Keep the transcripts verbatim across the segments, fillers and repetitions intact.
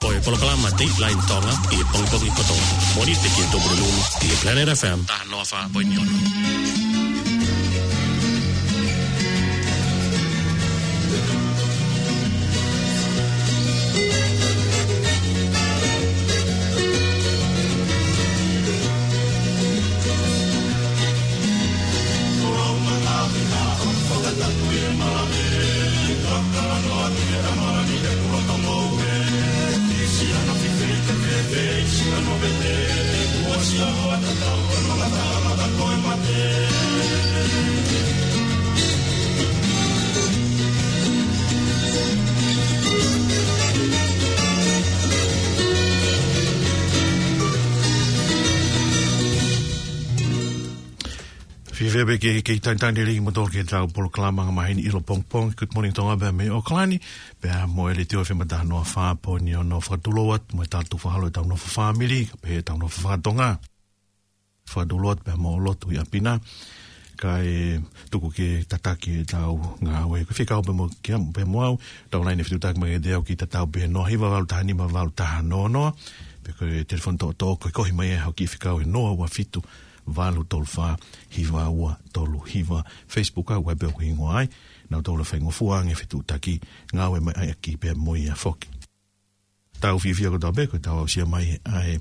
Ko e polokalama Dateline Tonga ʻi he pongipongi kotoa. Mōnite ki he Tupulelulu ʻi he Planet F M. Taha noa fā poini ono. Fiefia pē ke, ke talitali lelei kimoutolu ki heʻetau polokalama angamaheni ʻiloa pongipongi, Good Morning Tonga, pea mei ʻAokalani, pea mo e Letiō F M taha noa fā poini ono. Fakatulou atu mo e tala tukufakaholo ʻetau nofo fāmili, kae pehē ʻetau nofo fakatonga. Fakatulou atu pea mo e lotu ʻi ʻapi na, kae tuku ke tataki ʻetau ngāue. Ko e fekau pē mo kia, pē mo au, tau laine fetuʻutaki mai kiate au ki he tatau pē noa hiva valu taha nima valu taha noa noa, pe ko e telefoni toʻotoʻo ko e kohi mai ʻe hoku fekau ʻe noa ua fitu valu tolu fā hiva ua tolu hiva. Facebook au ai pē ʻoku hingoa ai, nau tau la faingofua ange fetuʻutaki, ngāue mai ai ʻaki pē mo ia foki. Tau fiefia kotoa pē, ko ʻetau aʻusia mai ʻa e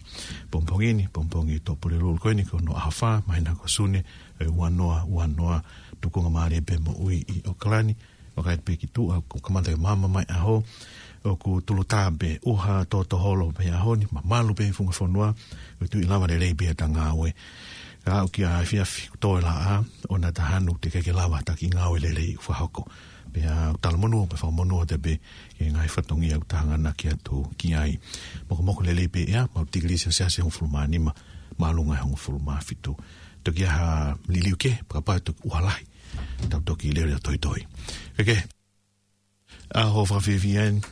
pongipongi ni, pongipongi Tupulelulu ko eni, ko hono ʻaho fā, māhina ko Sune, ʻe ua noa ua noa, tukunga mālie pē moʻui ʻi ʻAokalani, vakai pē ki tuʻa, kuo kamata ke maama mai ʻaho, ʻoku tulutā pē ʻuha totoholo pē ʻaho ni, mamalu pē funga fonua, ʻoku tui lava lelei pē ʻeta ngāue. Ka aʻu ki he efiafi kuo toe laʻā, ʻoua naʻa ta hanu teʻeki ke lava ha kiʻi ngāue lelei ʻoku fakahoko. Pea ʻoku talamonū, pea fakamonū atu pē ki he ngaahi fatongia ʻoku ta hanganaki atu ki ai. Mokomoko lelei pē ʻea, maʻu tikilī selesiasi hongofulu mā nima, māʻolunga hongofulu mā fitu. Toki ʻi ai ha liliu kehe, pea kapau ʻe toki ʻuha lahi, tau toki lele ʻo toitoi. Ke ke, ʻaho fakafiefia eni,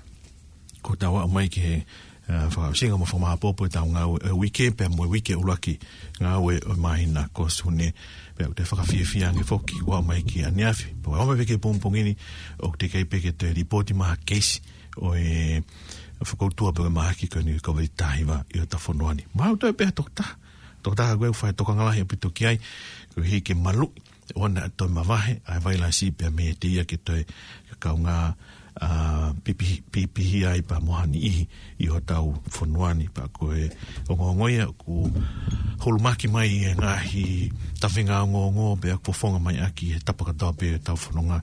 kuo tau aʻu mai ki he, ā, fakaʻosinga mo fakamāʻopoʻopo ʻetau ngāue ʻo e uike, pea mo e uike ʻuluaki ngāue ʻo e māhina ko Sune. Pea ʻoku toe fakafiefia ange foki, kuo aʻu mai ki ʻaneafi, pea ʻoku aʻu mai pē ki he pongipongi ni, ʻoku teʻeki ai pē ke toe lipooti mai ha keisi ʻo e fokoutua pe ko e mahaki ko eni ʻo e Kōviti taha hiva ʻi hotau fonua ni. Mahalo toe pē ha toko taha, toko taha ko ē ʻoku fai tokanga lahi ʻaupito ki ai, koeʻuhi ke maluʻi ʻoua naʻa toe mavahe ʻa e vailasi pea mei he ia ke toe kaungā, ā, pipihi, pipihi ai pea mo ha niʻihi ʻi hotau fonua ni. Pea ko e ongoongo ia ʻoku hulumaki mai ʻi he ngaahi tafinga ongoongo pea ʻoku fofonga mai ʻaki he tapa kotoa pē ʻetau fononga,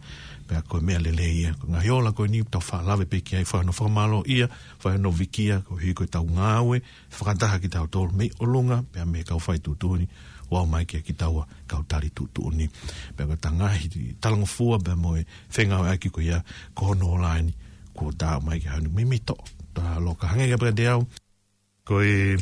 pea ko e meʻa lelei ia. Ko e ngaahi ola ko eni ʻoku tau faʻa lave pē ki ai, fai hono fakamālōʻia, fai hono vikia, koeʻuhi ko ʻetau ngāue fakataha kitautolu mei ʻolunga, pea mei he kau fai tuʻutuʻuni, ʻo aʻu mai kia kitaua kau tali tuʻutuʻuni. Pea ko ʻeta ngaahi talangofua, pea mo e fengāueʻaki ko ia, ko hono ola eni, kuo ta aʻu mai ki he ʻaho ni. Mimito, ta loka hangē kiate au. Ko e,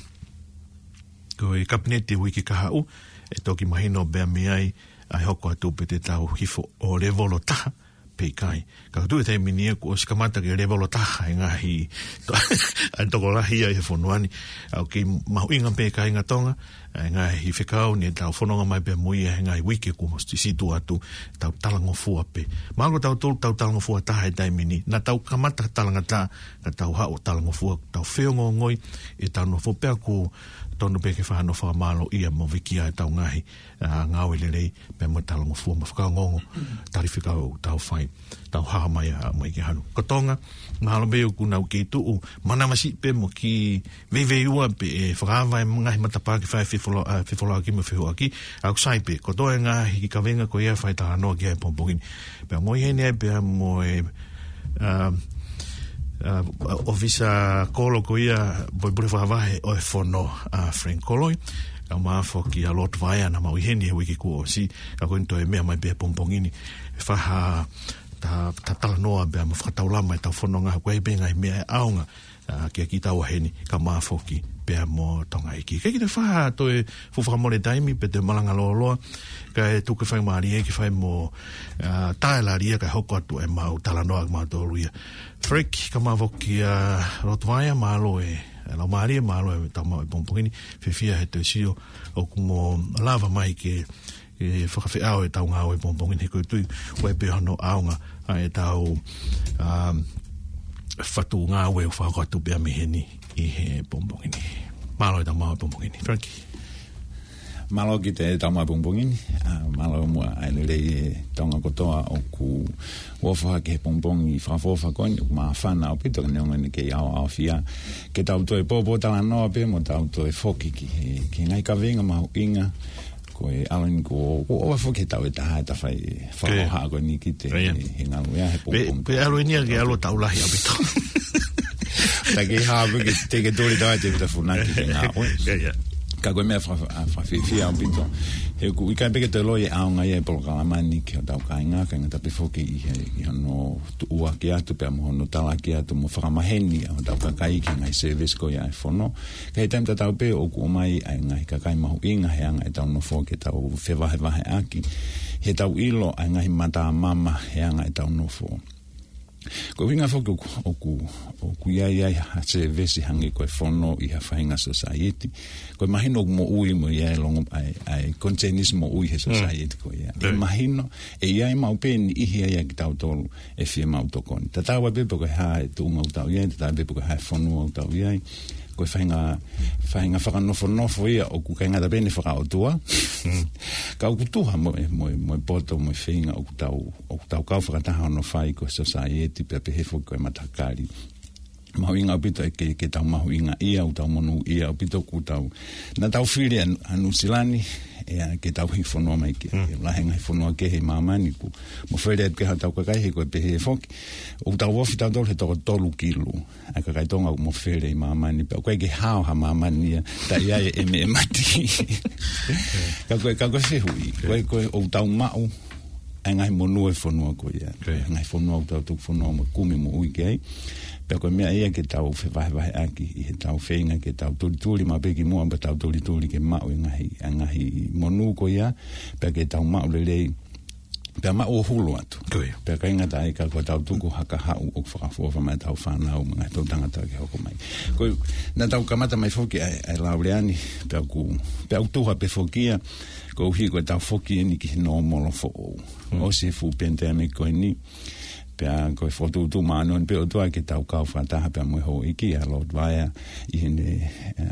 ko e kapineti uike kahaʻu, ʻe toki mahino pea mei ai, ʻa e hoko atu pe te tau hifo ʻo levolo taha, pe ʻikai. Ka ʻoku tuʻu he taimi ni ia kuo ʻosi kamata ke levolo taha e ngaahi to-, ʻa e tokolahi ia ʻi he fonua ni. ʻOku kei mahuʻinga pē kāinga Tonga, ʻa e ngaahi fekau ni ʻe tau fononga mai pē mo ia he ngaahi uike kuo ʻosi situ atu, tau talangofua pē. Mahalo ko tautolu tau talangofua taha he taimi ni, naʻa tau kamata talangataʻa, ka tau haʻu ʻo talangofua, tau feongoongoi ʻetau nofo, pea ʻoku tonu pē ke fai hano fakamālōʻia mo vikia ʻetau ngaahi, ā, ngāue lelei, pea mo e talangofua mo e fakaongoongo, tali fekau ʻoku tau fai, tau haʻu mai ʻa, mai ki he ʻaho ni. Ko Tonga, mahalo pē ʻoku nau kei tuʻu manavasiʻi pē mo kiʻi veiveiua pē ʻe fakaava e ngaahi matapā ke fai fefola-, ā, fefolauʻaki mo e fehuʻaki, ʻa ʻoku sai pē, kotoa e ngaahi kiʻi kavenga ko ia ʻe fai talanoa ki ai he pongipongi ni. Pea ongoʻi heni ai pea mo e, ā, ā, ʻōfisa kolo ko ia, poʻuli fakavahe ʻo e fono, ā, Frank Koloi, kae ʻumaʻā foki ʻa Lord Vaea naʻa mau ʻi heni he uike kuo ʻosi, ka ko eni toe meʻa mai pē he pongipongi ni, ʻe fai ha ta-, ta talanoa pea mo fakataulama ʻetau fononga, ko e hā pē ngaahi meʻa ʻe ʻaonga, ā, kia kitaua heni, kae ʻumaʻā foki pea mo Tonga ʻEiki. Ke kita faha toe fuʻu fakamole taimi, pe toe malanga lōloa, kae tuku e faingamālie ke fai mo, ā, tae lalia kae hoko atu ʻemau talanoa kimautolu ia. Frank, kae ʻumaʻā foki ʻa Lord Vaea, mālō e, ā, laumālie, mālō e tau maʻu e pongipongi ni, fiefia he toe sio ʻoku mou lava mai ke, ke fakafeʻao ʻetau ngāue he pongipongi ni he ʻoku ou tui, ʻoku ʻi ai pē hono ʻaonga ʻa ʻetau, um, fatu ngāue ʻoku fakahoko atu pē mei heni ʻi he pongipongi ni. Mālō e tau maʻu e pongipongi ni, Frankie. Mālō ki he tau maʻu e pongipongi ni. ʻA, mālō muʻa ʻa e lelei e Tonga kotoa ʻoku ʻofa ki he pongipongi fakaʻofoʻofa ko eni, ʻoku māfana ʻaupito ka neongo ʻene kei ʻaoʻaofia. Ke tau toe pōpōtalanoa pē mo tau toe foki ki he, ki he ngaahi kaveinga mahuʻinga. Ko e ʻalu eni ko, ko ʻoua foki he tau e taha e tafai fakaʻohoʻa ko eni ki he, he ngalu ia he pongipongi. Pe ʻalu eni ia ke ʻalu tau lahi ʻaupito. Ta ke hā pē ke te ke tole tau te ta funaki ke ngā ʻoe. Ka ko e meʻa fa-, fa-, fakafiefia ʻaupito. He ʻoku ʻikai pē ke te loi e ʻaonga ia e polokalama ni ki hotau kāinga, kāinga tapu foki ʻi he, ʻi hono tuʻuaki atu pea mo hono talaki atu mo fakamaheni ʻa hotau kakai ki he ngaahi service ko ia e fono. Ka he taimi tatau pē ʻoku ʻomai ʻa e ngaahi kakai mahuʻinga he anga e tau nofo ke tau fevahevaheʻaki. He tau ʻilo ʻa e ngaahi matamama he anga e tau nofo. Ko e ʻuhinga foki ʻoku, ʻoku, ʻoku ʻi ai ʻa e service hangē ko e fono ʻi ha faʻahinga society. Ko e mahino ʻoku moʻui mo ia e longo ʻa e, ʻa e content is moʻui he society ko ia. E mahino, ʻe ʻi ai maʻu pē ʻe niʻihi ai ʻa kitautolu ʻe fiemaʻu tokoni. Tatau ai pē pe ko e hā e tuʻunga ʻoku tau ʻi ai, tatau ai pē pe ko e hā e fonua ʻoku tau ʻi ai. Ko e faʻahinga, faʻahinga fakanofonofo ia ʻoku ʻikai ngata pē ʻene fakaʻotua. Ka ʻoku tuha mo e, mo e, mo e poto, mo e feinga ʻoku tau, ʻoku tau kau fakataha hono fai ko e society, pea pehē foki ko e matakali. Mahuʻinga ʻaupito ʻe ke, ke tau mahuʻingaʻia, ʻoku tau monūʻia ʻaupito ʻoku tau. Naʻa tau fili ʻa, ʻa Nuʻusila ni, ʻe, ke tau hiki fonua mai ki ai. Lahi e ngaahi fonua kehe ʻi māmani ʻoku mofele atu ki ai hotau kakai he ko e pehē foki. ʻOku tau ofi tautolu he toko tolu kilu ʻa e kakai Tonga ʻoku mofele ʻi māmani pea ʻoku ʻikai ke hao ha māmani ia, ta ʻi ai e ʻeme e mati. Ka ko e, ka ko e fehuʻi, ko e, ko e ʻoku tau maʻu ʻa e ngaahi monū e fonua ko ia. Ngaahi fonua ʻoku tau tuku fonua mo kumi moʻui ki ai. Pea ko e meʻa ia ke tau fevahevaheʻaki ʻi he tau feinga ke tau tulituli maʻu pē ki muʻa pea tau tulituli ke maʻu e ngaahi, ʻa e ngaahi monū ko ia. Pea ke tau maʻu lelei. Pea maʻu ʻo hulu atu. Pea ʻikai ngata ai ka ko e tau tuku ha kahaʻu ʻoku fakaʻofoʻofa mai tau fānau mo e ngaahi tau tangata ke hoko mai. Ko e, naʻa tau kamata mai foki ʻa e, ʻa e lau lea ni, pea ʻoku, pea ʻoku tuha pē foki ia, koeʻuhi ko e tau foki eni ki he nōmolo foʻou. ʻOsi e fuʻu pandemic ko eni, pea ko e fokotuʻutuʻu māʻoniʻoni pē ʻOtua ke tau kau fakataha pea mo e houʻeiki ʻa Lord Vaea ʻi heʻene, ʻa,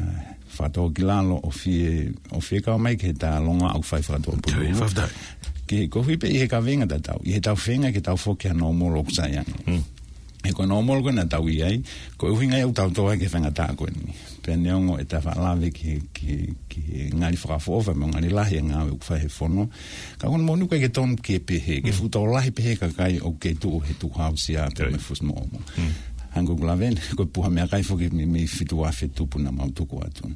fakatōkilalo ʻo fie, ʻo fie kau mai ki he talanoa ʻoku fai fakatōpulu. Ke koeʻuhi pē ʻi he kaveinga tatau, ʻi he tau feinga ke tau foki ha nōmolo ʻoku sai ange. He ko e nōmolo ko ē naʻa tau ʻi ai, ko e ʻuhinga ia ʻoku tau tō ai ki he faingataʻa ko eni. Pea neongo ʻeta faʻa lave ki he, ki he, ki he ngali fakaʻofoʻofa mo e ngali lahi e ngāue ʻoku fai he fono. Ka ko hono moʻoni ʻoku ʻikai ke tonu ke pehē, ke fuʻu tō lahi pehē kakai ʻoku kei tuʻu he tukuhāusia pea mo e fusimoʻomo. Hangē ko ʻeku lave eni, ko e puha meʻakai foki mei, mei fitu afe tupu naʻa mau tuku atu.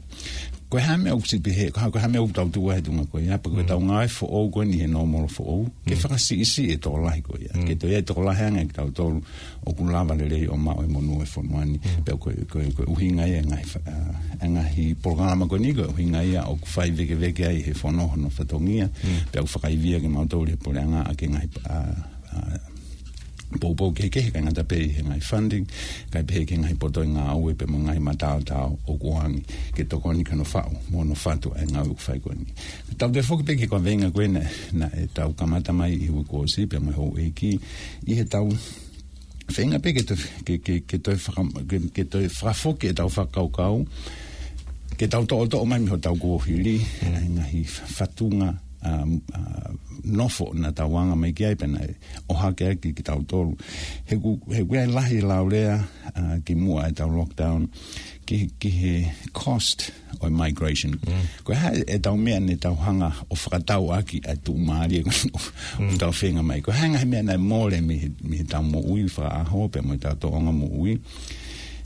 Ko e hā e meʻa ʻoku siʻi pehē, ko e hā, ko e hā e meʻa ʻoku tau tuʻu ai he tuʻunga ko ia, pea ko e tau ngāue foʻou ko eni he nōmolo foʻou, ke fakasiʻisiʻi e tokolahi ko ia. Ke toe ʻi ai e tokolahi ange kitautolu ʻoku lava lelei ʻo maʻu e monū e fonua ni. Pea ko e, ko e, ko e ʻuhinga ia e ngaahi fa-, ʻa, e ngaahi polokalama ko eni ko e ʻuhinga ia ʻoku fai vekeveke ai he fono hono fatongia. Pea ʻoku fakaivia kimautolu he puleʻanga ʻaki e ngaahi, ʻa, ʻa, poupou kehekehe ʻikai ngata pē ʻi he ngaahi funding, kae pehē ki he ngaahi poto e ngāue pea mo e ngaahi mataotao ʻoku ʻoange ke tokoni ki hono faʻu mo hono fatu ʻa e ngāue ʻoku fai ko eni. Tau toe foki pē ki he kaveinga ko ē naʻe, naʻe tau kamata mai ʻi he uike kuo ʻosi pea mo e houʻeiki ʻi he tau feinga pē ke toe, ke, ke, ke toe faka-, ke, ke toe fakafoki e tau fakakaukau, ke tau toʻotoʻo mai mei hotau kuohili, ʻa e ngaahi fatunga, ʻa, ʻa, nofo naʻa tau anga mai ki ai pea naʻe ʻohake ai ki, kitautolu. He ʻoku, he ʻoku ʻi ai e lahi e laulea, ʻa, kimuʻa e tau lockdown, ki, ki he cost ʻo e migration. Ko e hā e tau meʻa naʻa tau hanga ʻo fakatau ʻaki ʻa e tuʻumālie ko eni ʻoku tau feinga mai. Ko e hā e ngaahi meʻa naʻe mole mei he, mei he tau moʻui fakaʻaho pea mo e tau tōʻonga moʻui.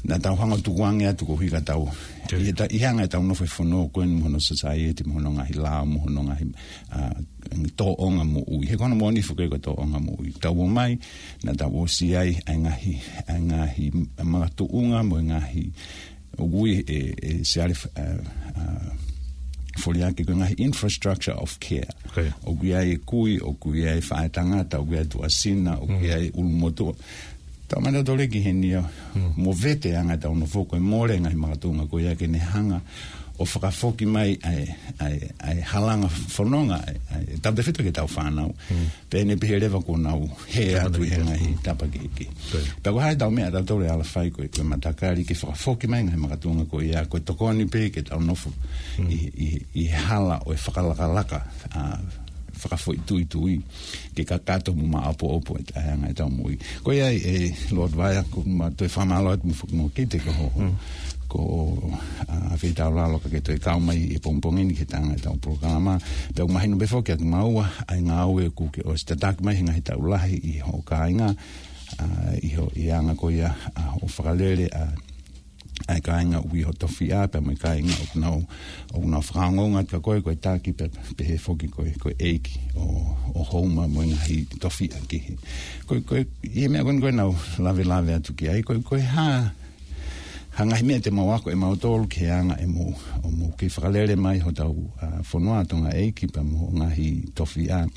Naʻa tau hanga ʻo tukuange atu koeʻuhi ka tau. ʻI he ta-, ʻi he anga e tau nofo he fono ko eni mo hono society, mo hono ngaahi lao, mo hono ngaahi, ʻa, tōʻonga moʻui. He ko hono moʻoni foki ko e tōʻonga moʻui. Tau ō mai, naʻa tau ʻosi ʻi ai, ʻa e ngaahi, ʻa e ngaahi makatuʻunga mo e ngaahi ʻoku ui ʻe, ʻe Siale, ʻa, ʻa, Foliaki ko e ngaahi infrastructure of care. ʻOku ʻi ai e kui, ʻoku ʻi ai e faʻētangata, ʻoku ʻi ai e tuʻasina, ʻoku ʻi ai e ʻulumotuʻa. Tau mata tole ki heni ʻo movete ʻa e anga ʻetau nofo ko e mole ngaahi makatuʻunga ko ia ke ne hanga ʻo fakafoki mai ʻa e, ʻa e, ʻa e halanga fononga, ʻa e, ʻa e, tautefito ki heʻetau fānau. Pea ne pehē leva kuo nau hē atu ʻi he ngaahi tapa kehekehe. Pea ko e hā ʻetau meʻa ʻatautolu ʻe ala fai ko e, ko e matakali ke fakafoki mai ngaahi makatuʻunga ko ia, ko e tokoni pē ke tau nofo ʻi, ʻi, ʻi he hala ʻo e fakalakalaka, ʻa, fakafoʻituitui ke kakato mo maʻopoʻopo ʻa e anga ʻetau moʻui. Ko ia ʻe Lord Vaea, ʻoku ma toe fakamālō atu mo, mo Kite ko hoʻo, ko, ʻa, feitaulalo ka ke toe kau mai ʻi he pongipongi ni ki he anga ʻetau polokalama. Pea ʻoku mahino pē foki kiate kimaua ʻa e ngāue ʻoku ke ʻosi tataki mai he ngaahi taʻu lahi ʻi hoʻo kāinga, ʻa, ʻi hoʻo, ʻi he anga ko ia ʻa hoʻo fakalele ʻa ʻa e kāinga ʻoku ʻi ho tofiʻa pea mo e kāinga ʻoku nau, ʻoku nau fakaongoongo atu kia koe ko e taki pea, pehē foki ko e, ko e ʻeiki ʻo, ʻo Houma mo e ngaahi tofiʻa kehe. Ko e, ko e, ʻi he meʻa ko eni ko ē naʻá ku lavelave atu ki ai, ko e, ko e hā, hā ngaahi meʻa te mau ako ʻe mautolu ki he anga ʻemau, ʻo mau kei fakalele mai hotau, ʻa, fonua Tonga ʻeiki pea mo e ngaahi tofiʻa.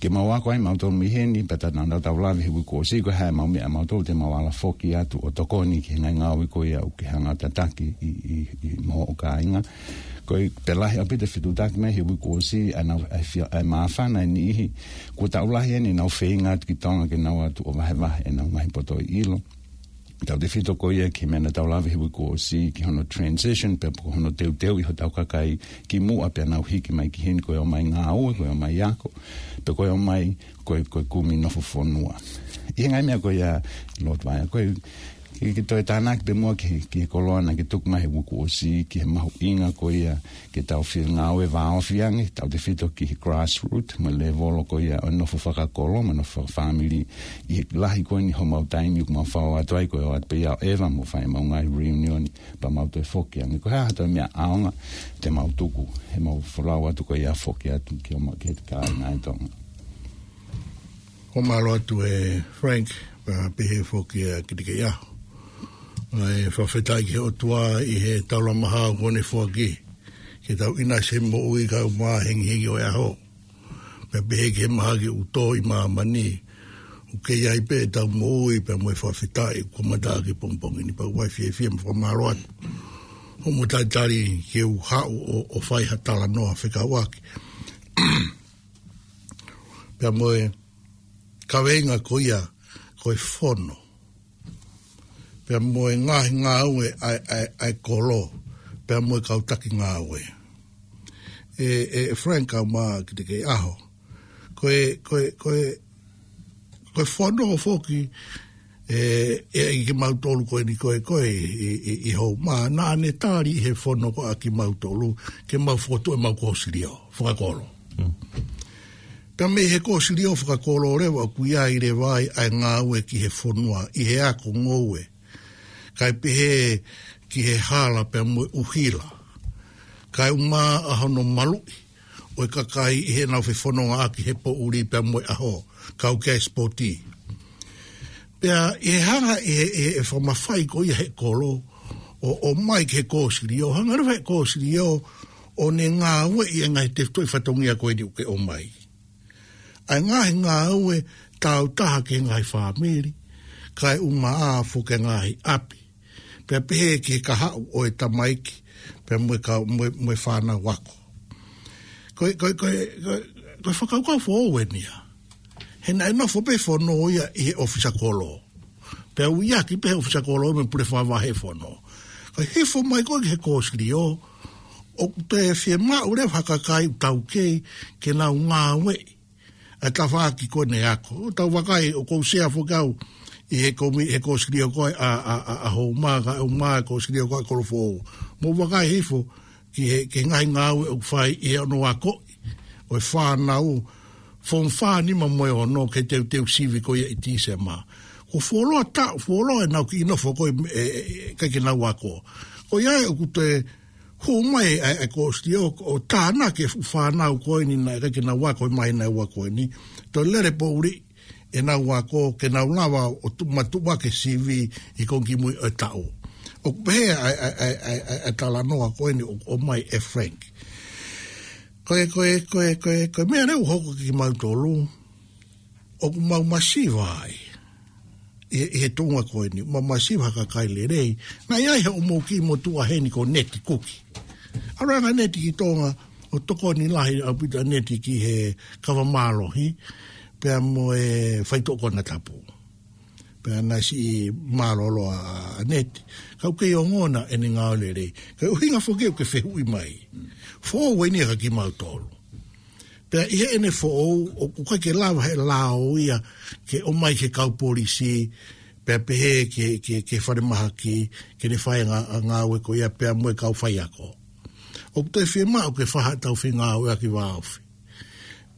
Ke mau ako ai mautolu mei heni, pea tā naʻa tau lave he uike kuo ʻosi, ko e hā ʻemau meʻa mautolu te mau ala foki atu ʻo tokoni ki he ngaahi ngāue ko ia ʻoku ke hanga ʻo tataki ʻi, ʻi, ʻi mo hoʻo kāinga. Ko e pē lahi ʻaupito e fetuʻutaki mai he uike kuo ʻosi, ʻa e nau, ʻa e fia, ʻa e māfana ʻe niʻihi, kuo taʻu lahi eni ʻenau feinga atu ki Tonga ke nau ō atu ʻo vahevahe ʻenau ngaahi poto ʻi ʻilo. Tautefito ko ia ki he meʻa naʻa tau lave he uike kuo ʻosi, ki hono transition, pea ko hono teuteuʻi hotau kakai kimuʻa pea nau hiki mai ki heni ko e ō mai ngāue, ko e ō mai ako, pea ko e ō mai ko e, ko e kumi nofo fonua. ʻI he ngaahi meʻa ko ia Lord Vaea, ko e, ke, ke toe tānaki pē muʻa ki he, ki he koloa naʻá ke tuku mai he uike kuo ʻosi, ki he mahuʻinga ko ia ke tau fie ngāue vāofi ange, tautefito ki he grassroot, mo e lēvolo ko ia ʻo e nofo fakakolo, mo e nofo fakafāmili, ʻi he lahi ko eni homau taimi ʻoku mau fou atu ai, ko e ō atu pē ia ʻo ʻeva mo fai ʻemau ngaahi reunion, pea mau toe foki ange. Ko e hā ha toe meʻa ʻaonga te mau tuku, heʻemau folau atu ko ia foki atu ki ʻemau, ki he kāinga ʻi Tonga. Ko e mālō atu ʻe Frank, pea pehē foki ʻa Kite Keiʻaho. ʻA e fakafetaʻi ki he ʻOtua ʻi he taulama hao kuo ne foaki ke tau ʻinasi he moʻui kae ʻumaʻā e hengihengi ʻo e ʻaho. Pea pehē ki he mahaki ʻoku tō ʻi māmani, ʻoku kei ʻi ai pē ʻetau moʻui pea mo e fakafetaʻi kuo mata ʻaki he pongipongi ni, pea ʻoku ou fiefia mo fakamālō atu hoʻomo talitali ke u haʻu ʻo, ʻo fai ha talanoa fekauʻaki pea mo e kaveinga ko ia ko e fono, pea mo e ngaahi ngāue ʻa e, ʻa e, ʻa e kolo, pea mo e kau taki ngāue. ʻE, ʻe Frank kae ʻumaʻā Kite Keiʻaho, ko e, ko e, ko e, ko e fono foki, ʻe, ʻe ʻi kimautolu ko eni ko ē, ko ē ʻi, ʻi, ʻi Houma, naʻá ne tali ʻi he fono ko ē ʻa kimautolu, ke mau fokotuʻu ʻemau kōsilio fakakolo. Pea mei he kōsilio fakakolo leva ʻoku ʻi ai leva ai ʻa e ngāue ki he fonua, ʻi he ako ngoue, kae pehē ki he hala pea mo e ʻuhila, kae ʻumaʻā hono maluʻi ʻo e kakai ʻi heʻenau fefonongaʻaki he poʻuli pea mo e ʻaho, kau ki he sipoti. Pea ʻi he hanga ʻe he, ʻe he fakamafai ko ia he kolo ʻo, ʻo ʻomai ki he kōsilio, hanga leva he kōsilio ʻo ne ngāueʻi e ngaahi tefitoʻi fatongia ko eni ʻoku ke ʻomai. ʻA e ngaahi ngāue tāutaha ki he ngaahi fāmili, kae ʻumaʻā foki e ngaahi ʻapi, pea pehē ki he kahaʻu ʻo e tamaiki, pea mo e kau, mo e, mo e fānau ako. Ko e, ko e, ko e, ko e, ko e fakakaukau foʻou eni ia. He naʻe nofo pē fono ia ʻi he ʻōfisa kolo. Pea ui ʻaki pē he ʻōfisa kolo mo e pule fakavahe fono. Kae hifo mai ko ē ki he kōsilio, ʻoku toe fiemaʻu leva ha kakai ʻoku taukei ke nau ngāueʻi ʻa e tafaʻaki ko eni ako. ʻOku tau vakai, ʻoku ou sea foki au ʻi he komi-, he kōsilio ko ē ʻa, ʻa, ʻa, ʻa Houma, kae ʻumaʻā e kōsilio ko ē ʻa Kolofoʻou. Mou vakai hifo ki he, ki he ngaahi ngāue ʻoku fai ʻi he ono akoʻi ʻo e fānau, form five, nima mo e ono, ki he teuteu sivi ko ia ʻi Tīsema. Kuo fuoloa taʻu, fuoloa ʻenau kiʻi nofo ko ē, ʻe, ʻe, ʻe, ʻikai ke nau ako. Ko ia ʻoku toe hū mai ʻa e, ʻa e kōsilio ʻo tānaki e fuʻu fānau ko eni naʻe ʻikai ke nau ako he māhina ʻe ua ko eni. Toe lele poʻuli ʻenau ako ke nau lava ʻo tu-, matuʻuaki e sivi ʻi he konga kimui ʻo e taʻu. ʻOku pehē ʻa e, ʻa e, ʻa e, ʻa e, ʻa e, ʻa e talanoa ko eni ʻo, ʻomai ʻe Frank. Ko e, ko e, ko e, ko e, ko e meʻa leva ʻoku hoko kiate kimautolu, ʻoku mau masiva ai. ʻi he, ʻi he tuʻunga ko eni, ma, ma siva ha kakai lelei. Naʻe ʻi ai haʻamou kiʻi motuʻa heni ko Neti Kuki. ʻAlu ange ʻa Neti ki Tonga, ʻo tokoni lahi ʻaupito ʻa Neti ki he kava mālohi, pea mo e faitoʻo konatapu. Pea naʻe siʻi mālōlō ʻa Neti. Ka ʻoku kei ongona ʻene ngāue lelei. Ka ʻuhinga foki ʻoku ke fehuʻi mai. Foʻou eni ia kia kimautolu. Pea ʻi heʻene foʻou, ʻoku ʻikai ke lava he lao ia ke ʻomai ki he kau polisi, pea pehē ki he, ki he, ki he falemahaki, ke ne fai ngā, ngāue ko ia pea mo e kau faiako. ʻOku toe fiemaʻu ke fai haʻatau fengāueʻaki vāofi.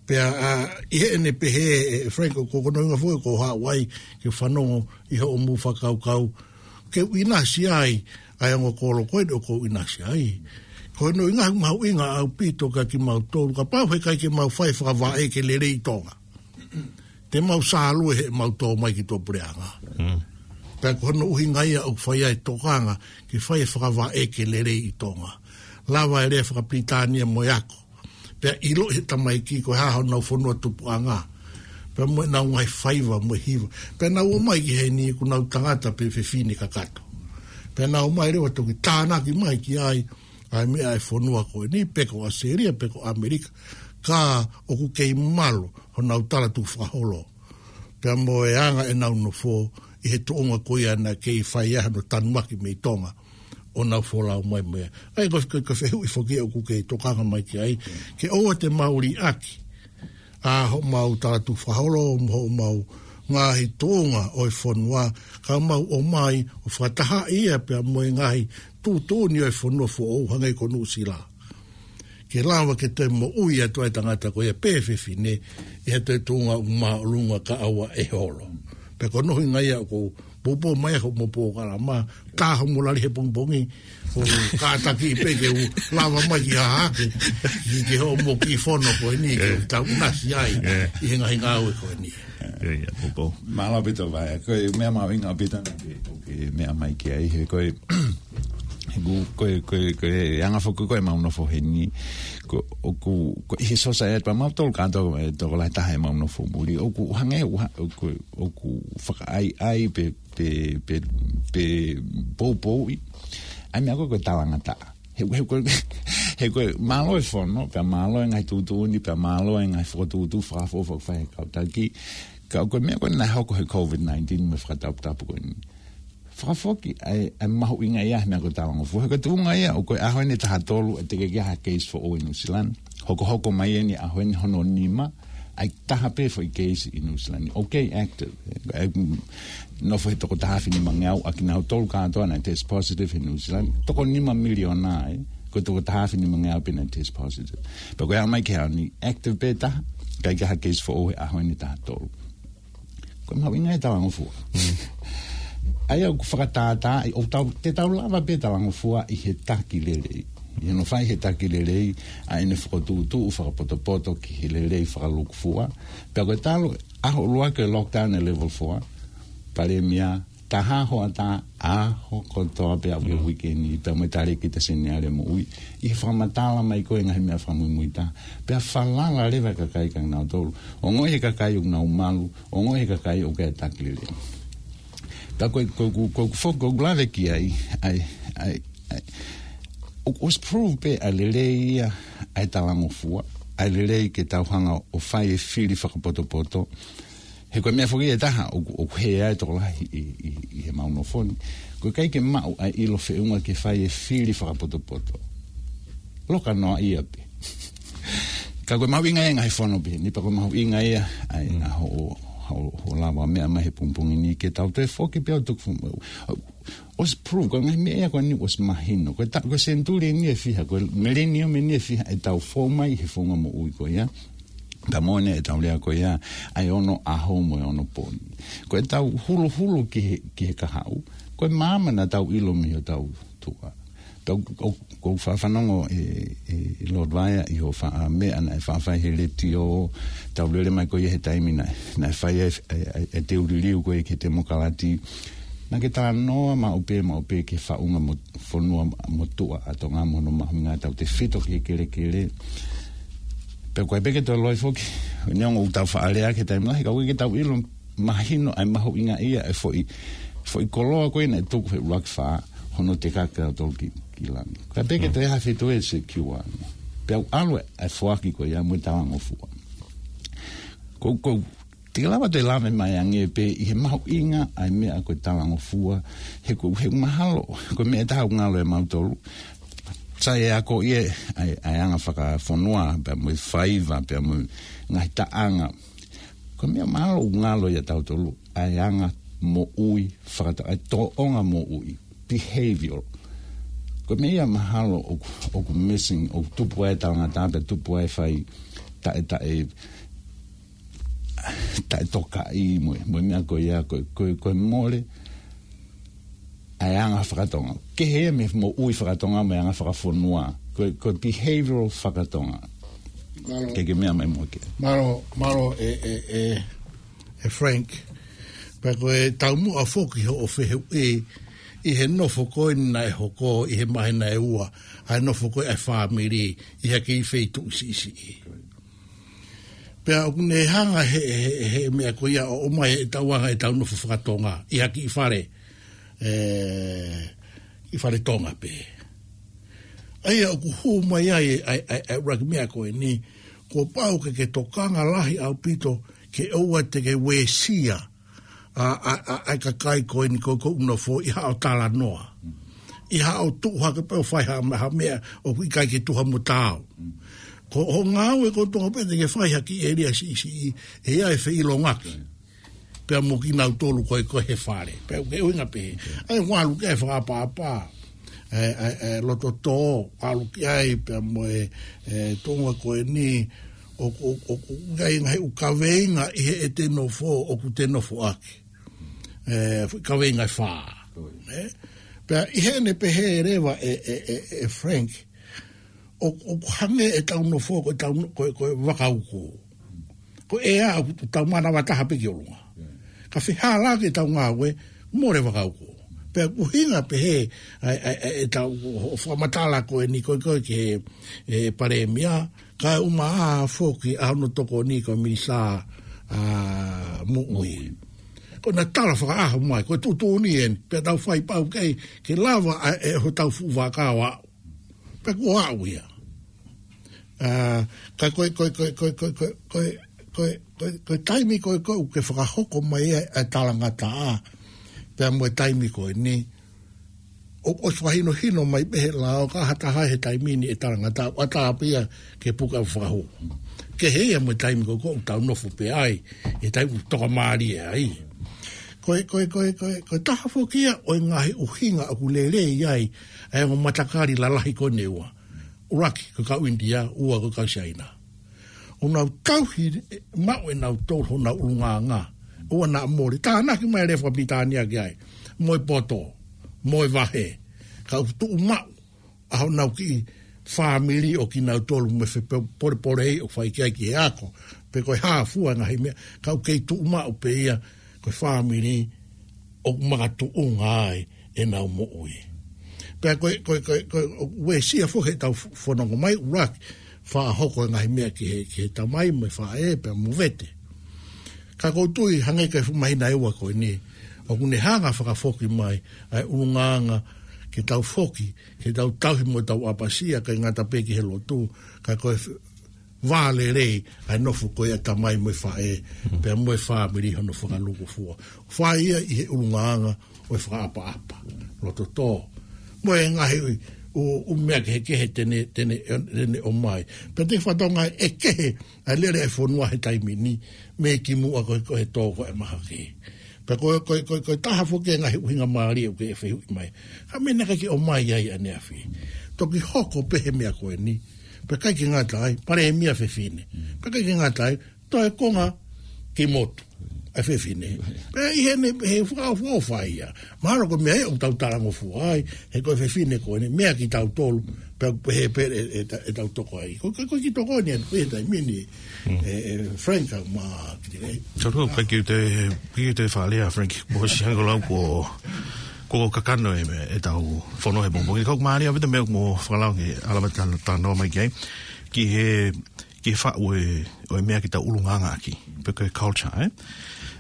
Pea, ʻa, ʻi heʻene pehē, ʻe Frank, ʻoku, ko hono ʻuhinga foki ʻoku ou haʻu ai ke fanongo ʻi hoʻomou fakakaukau, ke u ʻinasi ai, ʻa e ongo kolo ko ē ʻoku ou ʻinasi ai. Ko hono ʻuhinga ʻoku mahuʻinga ʻaupito kia kimautolu, kapau heʻikai ke mau fai fakavaʻe ke lelei ʻi Tonga, te mau sālue heʻemau tō mai ki tuʻa puleʻanga. Mm. Pea ko hono ʻuhinga ia ʻoku fai ai e tokanga ke fai e fakavaʻe ke lelei ʻi Tonga. Lava e lea fakapilitānia mo e ako. Pea ʻiloʻi he tamaiki ko e hā honau fonua tupuʻanga. Pea mo ʻenau ngaahi faiva mo e hiva. Pea nau ō mai ki heni ʻoku nau tangata pē fefine kakato. Pea nau ō mai leva toki tānaki mai ki ai, ʻa e meʻa ʻa e fonua ko eni, pe ko ʻAositelēlia, pe ko ʻAmelika. Ka ʻoku kei malu honau talatukufakaholo. Pea mo e anga ʻenau nofo, ʻi he tuʻunga ko ia naʻe kei fai ai hano tanumaki mei Tonga, ʻo nau folau mai mo ia. ʻA ia ko, ko, ko e fehuʻi foki ʻoku ke tokanga mai ki ai, ke ʻoua te mau liʻaki ʻa hoʻomau talatukufakaholo, mo hoʻomau ngaahi tuʻunga ʻo e fonua, ka mau ō mai ʻo fakatahaʻi ia pea mo e ngaahi tuʻutuʻuni ʻo e fonua foʻou hangē ko Nuʻusila. Ke lava ke toe moʻui atu ai e tangata ko ia pe fefine, ʻi ha toe tuʻunga ʻoku māʻolunga kae ʻoua ʻe holo. Pea ko hono ʻuhinga ia ʻoku ou poupou mai hoʻomou polokalama, ka hoʻomou lali he pongipongi, ʻo kātaki pē ke u lava mai ki hahake, ki, ki hoʻomou kiʻi fono ko eni, ke u tau ʻinasi ai, ʻi he ngaahi ngāue ko eni. Mālō ʻaupito Vaea, ko e meʻa mahuʻinga ʻaupito naʻa ke, ke meʻa mai ki ai, he ko e, he ku, ko e, ko e, ko e anga foki ko ē ʻemau nofo heni, ko, ʻoku, ko e he society pea mautolu kātoa, e tokolahi taha ʻemau nofo muli, ʻoku hangē, ʻoku ha-, ʻoku, ʻoku fakaʻaiʻai pe, pe, pe, pe poupouʻi ʻa e meʻa ko ē ko e talangataʻa. He, he ko e, he ko e mālō e fono, pea mālō e ngaahi tuʻutuʻuni, pea mālō e ngaahi fokotuʻutuʻu fakaʻofoʻofa ʻoku fai he kau taki. Ka ko e meʻa ko ē naʻe hoko he COVID nineteen mo e fakataputapu ko eni, fakafoki ʻa e, ʻa e mahuʻinga ia he meʻa ko e talangofua. He ko e tuʻunga ia ʻoku ʻi ai e ʻaho eni ʻe taha tolu ʻe tekeʻi ai ha case foʻou ʻi New Zealand. Hokohoko mai eni ʻaho eni hono nima, ʻa e taha pē foʻi case ʻi New Zealand. Okay, active. ʻE, mm, nofo he toko taha afe nimangeau ʻa kinautolu kātoa naʻe test positive ʻi New Zealand. Toko nima miliona ē. Ko e toko taha afe nimangeau pē naʻe test positive. Pea ko e aʻu mai ki he ʻaho ni, active pē taha, ʻikai ke ʻi ai ha case foʻou he ʻaho eni ʻe taha tolu. Ko e mahuʻinga e talangofua. Mm. ʻA ia ʻoku fakatātā, ʻoku tau, te tau lava pē talangofua ʻi he taki lelei. ʻI hono fai he taki lelei, ʻa ʻene fokotuʻutuʻu fakapotopoto ki he lelei fakalūkufua. Pea ko e talu, ʻaho ʻuluaki e lockdown e level four, palēmia, taha hoʻatā, ʻaho kotoa pē ʻa e uike ni, pea mo e talēkita Seniale Moʻui. ʻI he fakamatala mai ko ē ngaahi meʻa fakamuimuitaha. Pea falala leva e kakai kia kinautolu. Ongoʻi he kakai ʻoku nau malu, ongoʻi he kakai ʻoku ʻi ai e taki lelei. Pea ko e, ko e, ko e, ko e foki, ko e lave ki ai, ʻa e, ʻa e, ʻa e, ʻo, ʻosi prove pē ʻa e lelei ia ʻa e talangofua, ʻa e lelei ke tau hanga ʻo fai e fili fakapotopoto. He ko e meʻa foki ʻe taha, ʻoku, ʻoku hē ai e tokolahi ʻi, ʻi, ʻi heʻemau nofo ni. Ko e ʻikai ke maʻu ʻa e ʻilo feʻunga ke fai e fili fakapotopoto. Loka noa ia pē. Ka ko e mahuʻinga ia e ngaahi fono pē ni, pea ko e mahuʻinga ia ʻa e, ʻa hoʻo, hoʻo, hoʻo lava meʻa mai he pongipongi ni ke tau toe foki pē ʻo tuku fu-, ʻosi prove, ko e ngaahi meʻa ia ko eni ʻosi mahino. Ko e ta-, ko e senituli eni ʻe fiha, ko e millennium eni ʻe fiha ʻetau fou mai he funga moʻui ko ia. Pea mo ʻene ʻetau lea ko ia, ʻa e ono ʻaho mo e ono pō ni. Ko ʻetau huluhulu ki he, ki he kahaʻu, ko e maama naʻa tau ʻilo mei hotau tuʻa. Pea ʻoku, ʻoku, ʻoku ou faʻa fanongo ē, ē, ʻe Lord Vaea ʻi hoʻo faʻa meʻa naʻe faʻa fai he letiō, tau lele mai ko ia he taimi naʻe, naʻe fai ai, ʻa e, ʻa e, ʻa e teu liliu ko ia ki he temokalati. Naʻa ke talanoa maʻu pē, maʻu pē ki he faʻunga mo-, fonua motuʻa ʻa Tonga mo hono mahuʻinga ʻetau tefito ki he kelekele. Pea ko e pē ke toe loi foki, neongo ʻoku tau faʻa lea ki he taimi lahi, ka ʻoku ʻikai ke tau ʻilo mahino ai mahuʻinga ia e foʻi, foʻi koloa ko ē naʻe tuku he ʻUluaki Fā, hono tekaki ʻa tautolu ki, ki langi. Ka peke te ha fitu e se kiwa. Pea u ʻalu e foaki ko ia mo e talangofua. Ko, ko, te lava te lave mai ange pē ʻi he mahuʻinga ʻa e meʻa ko e talangofua, he ko, he mahalo, ko e meʻa ʻe taha ʻoku ngalo ʻia mautolu. Sai e ako ia, ʻa e, ʻa e anga fakafonua, pea mo e faiva, pea mo e ngaahi taʻanga. Ko e meʻa mahalo ʻoku ngalo ʻia tautolu, ʻa e anga moʻui, fakata-, ʻa e tōʻonga moʻui, behavioral. Ko e meʻa ia mahalo ʻoku, ʻoku missing, ʻoku tupu ai e talangataʻa, pea tupu ai e fai taʻe, taʻe, taʻe tokaʻi mo e, mo e meʻa ko ia, ko e, ko e, ko e mole, ʻa e anga fakatonga. Kehe ia mei he moʻui fakatonga mo e anga fakafonua. Ko e, ko e behavioral fakatonga. Mālō. Ke ke meʻa mai mo ke. Mālō, mālō e, e, e, e Frank. Pea ko e taumuʻa foki hoʻo fehuʻi, ʻi he nofo ko ē naʻe hoko, ʻi he māhina ʻe ua, ʻa e nofo ko ē ʻa e fāmili, ʻi ha kiʻi feituʻu siʻisiʻi. Pea ʻoku ne hanga he, he, he meʻa ko ia ʻo ʻomai ʻetau anga ʻetau nofo fakatonga ʻi ha kiʻi fale, ē, kiʻi fale Tonga pē. ʻA ia ʻoku hū mai ai ʻa e, ʻa e, ʻa e ʻuluaki meʻa ko eni, kuo pau ke ke tokanga lahi ʻaupito ke ʻoua te ke uesia ʻa, ʻa, ʻa, ʻa e kakai ko eni ko, ko ʻoku nofo ʻi haʻo talanoa. ʻI haʻo tuʻu hake pē ʻo fai ha, ha meʻa ʻoku ʻikai ke tuha mo taau. Ko hoʻo ngāue ko e toko pē te ke fai ha kiʻi ʻēlia siʻisiʻi, ʻe ʻi ai e feʻilongaki. Pea mo kinautolu ko ē ko ē he fale. Pea ke ʻuhinga pē. ʻA ia ʻoku ʻalu ki ai e fakaʻapaʻapa. ʻE, ʻe, ʻe, loto tō, ʻalu ki ai pea mo e, e, tuʻunga ko eni, ʻoku, ʻoku, ʻoku ʻi ai e ngaahi ʻū kaveinga ʻi heʻete nofo, ʻoku te nofoʻaki. ʻE, fuʻu kaveinga ʻe fā. Ē? Pea ʻi heʻene pehē leva ʻe, ʻe, ʻe, ʻe Frank, ʻoku, ʻoku hangē ʻetau nofo ko ʻetau no-, ko, ko e vaka uku. Ko e ʻea ʻoku tau manava taha pē ki ʻolunga. Ka fehālaaki ʻetau ngāue, mole vaka uku. Pea ʻoku ʻuhinga pehē, ʻa e, ʻa e, ʻa e, ʻetau, ʻo, ʻo fakamatala ko eni ko e, ko e ki he, e, palēmia, kae ʻumaʻā foki ʻa hono tokoni ko e minisitā, ʻa, moʻui. Ko ʻena tala fakaʻaho mai, ko e tuʻutuʻuni eni, pea tau fai pau kei, ke lava ʻa e, hotau fuʻu vaka ʻo aʻu. Pea kuo aʻu ia. ʻA, ka ko e, ko e, ko e taimi ko ē ʻoku ke fakahoko mai ai ʻa e talangataʻa. Pea mo e taimi ko eni. ʻO, ʻosi fakahinohino mai pē he lao ka ha taha he taimi ni ʻe talangataʻa. ʻAtā pē ia ke puka fakahū. Kehe ia mo e taimi ko ē ʻoku tau nofo pē ai. ʻE taimi ʻoku tokamālie ai. Ko e, ko e, ko e, ko e, ko e taha foki ia ʻo e ngaahi ʻuhinga ʻoku lelei ai. ʻA e ongo matakali lalahi ko eni ʻe ua. ʻUluaki, ko e kau ʻInitia, ua, ko e kau Siaina. ʻO nau tauhi maʻu ʻe nautolu honau ʻulungaanga. ʻOua naʻa mole. Tānaki mai e lea faka-Pilitānia ki ai. Mo e poto, mo e vahe. Ka ʻoku tuʻu maʻu ʻa honau kiʻi fāmili ʻo kinautolu mo e fepolepole ʻoku fai ki ai ki he ako. Pe ko e hā fua e ngaahi meʻa. Ka ʻoku kei tuʻu maʻu pē ia, ko e fāmili ʻoku makatuʻunga ai ʻenau moʻui. Pea ko e, ko e, ko e, ko e, ʻoku uesia foki heʻetau f-, fononga mai, ʻuluaki, fakahoko e ngaahi meʻa ki he, ki he tamai mo e faʻē, pea mo e vete. Ka ʻoku ou tui, hangē ko e fuʻu māhina ʻe ua ko eni, ʻoku ne hanga fakafoki mai, ʻa e ʻulungaanga, ke tau foki, ke tau tauhi mo tau ʻapasia, ʻikai ngata pē ki he lotu, ka ko e f-, vā lelei, ʻa e nofo ko ia tamai mo e faʻē, pea mo e fāmili hono fakalūkufua. Fai ia ʻi he ʻulungaanga ʻo e fakaʻapaʻapa. Loto tō. Mo e ngaahi ʻū, ʻū meʻa kehekehe te ne, te ne, te ne ʻomai. Pea te fatonga ʻe kehe, ʻa e lele e fonua he taimi ni, mei kimuʻa ko e, ko e tō ko e mahaki. Pea ko e, ko e, ko e, ko e taha foki e ngaahi ʻuhinga mālie ʻoku ke fehuʻi mai. Ka mena ka ke ʻomai ai ʻaneafi. Toki hoko pē he meʻa ko eni. Pea ʻikai ke ngata ai, palēmia fefine. Pea ʻikai ke ngata ai, toe konga ki motu. ʻA e fefine. Pea ʻi heʻene, he fakaʻofoʻofa ia. Mahalo ko e meʻa ia ʻoku tau talangofua ai, he ko e fefine ko eni, meʻa kitautolu, pea, pea he pē, ʻe, ʻe, ʻe tau toko ai. Ko, ko, ko e kiʻi tokoni eni, ko e taimi ni, ʻe, ʻe Frank mo Kitilei. Tolu, thank you te, thank you te fale a Frank. Mo si hango lau ko, ko kakano e, ʻetau fono he pongipongi. Kau mālie ʻaupito meʻa mo fakalau ke ʻalu mai ta, ta no mai ki ai. Ki he, ki he faʻu e, ʻo e meʻa ke tau ʻulungaanga ʻaki. Pe ko e culture, ē?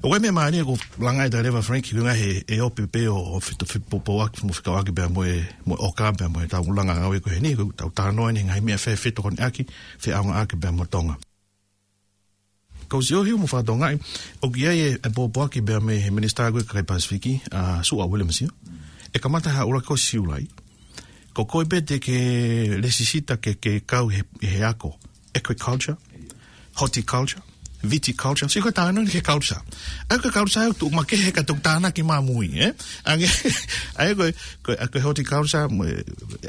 ʻOku ʻi ai e meʻa mālie ʻoku langa ʻe taha leva Frank, ko e ngaahi ʻe ʻope pē ʻo, ʻo feto-, fe-, popoaki, mo fekauʻaki pea mo e, mo e ʻoka pea mo e tau langa ngāue ko eni, ko e tau talanoa ni, ngaahi meʻa fē fetokoniʻaki, feʻaongaʻaki pea mo Tonga. Ko Sio Hiu mo Fatongaʻi, ʻoku ʻi ai e, e popoaki pea mei he minisitā ko ē kakai Pasifiki, ʻa Suʻa Williams ia. ʻE kamata ha ʻuluaki ko Siulai. Ko koe pē te ke lēsisita ke, ke kau he, he ako. Agriculture, horticulture, viticulture. Sio ko e talanoa ni ki he culture. Agriculture ʻoku tuʻu makehe ka toki tānaki mā mui, ē? Ange, ʻa ia ko e, ko e, ko e horticulture, mo e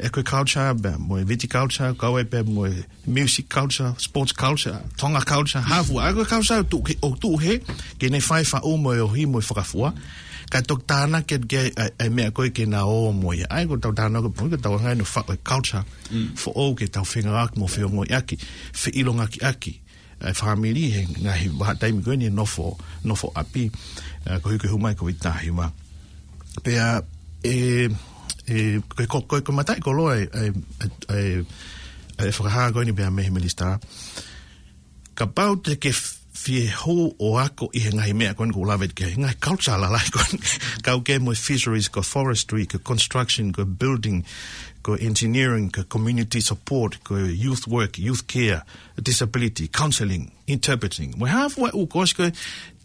agriculture, pea mo e viticulture, kau ai pē mo e music culture, sports culture, Tonga culture, hā fua. ʻA ia ko e culture ʻoku tuʻu ke, ʻoku tuʻu hē, ke ne fai faʻu mo e ohi mo e fakafua. Ka toki tānaki atu ki ai ʻa e, ʻa e meʻa ko ē ke na ō mo ia. ʻA ia ko e tau talanoa ko e, ko e tau anga ʻo faʻu e culture foʻou ke tau fengāueʻaki mo feongoʻiʻaki, feʻilongakiʻaki ʻa e fāmili he ngaahi vahaʻa taimi ko eni nofo, nofo ʻapi, ʻa, koeʻuhi ko e hū mai ko e tahi ma. Pea, ʻe, ʻe, ko e, ko e, ko e, ko e mataʻikoloa e, e, e, e, e fakahā ko eni pea mei he minisitā. Kapau te ke fie hū ʻo ako ʻi he ngaahi meʻa ko eni ʻoku ou lave ki ai, ngaahi culture lalahi ko eni. Kau ki ai mo e fisheries, ko e forestry, ko e construction, ko e building, ko e engineering, ko e community support, ko e youth work, youth care, disability, counselling, interpreting. Mo e hā fua e ʻū kosi ko ē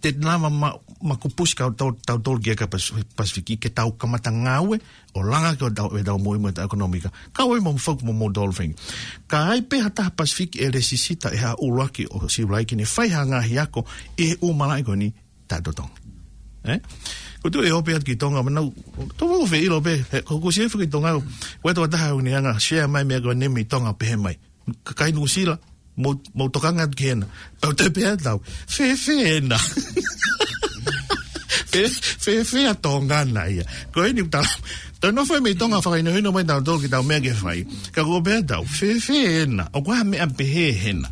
te nava ma, ma kupusi kau tau, tau tolu ki he kakai Pas-, Pasifiki ke tau kamata ngāue ʻo langa ki he tau, e tau moʻui mo e tau ʻekonōmika. Kau ai mo focus mo mo dolphin. Ka ʻi ai pē ha taha Pasifiki ʻe lēsisita ʻi ha ʻuluaki ʻo Siulai ke ne fai ha ngaahi ako ʻi he ʻū malaʻe ko eni, taʻetotongi. Ē? Ko e tuʻu e ʻope atu ki Tonga, manau, tau fou fē ʻilo pē, he, ko, ko Sio Hiu ki Tonga, ko e tau taha ʻoku ne hanga ʻo share mai meʻa ko eni mei Tonga pehē mai. Kakai Nuʻusila, mou, mou tokanga atu ki hena. Pea u tala pē ʻe au, fēfē ena? Fē, fēfē ʻa Tonga na ia? Ko eni ʻoku tala, tau nofo mei Tonga fakahinohino mai tautolu ki he tau meʻa ke fai. Ka ko e pehē atu, fēfē ena? ʻOku ʻi ai ha meʻa pehē hena?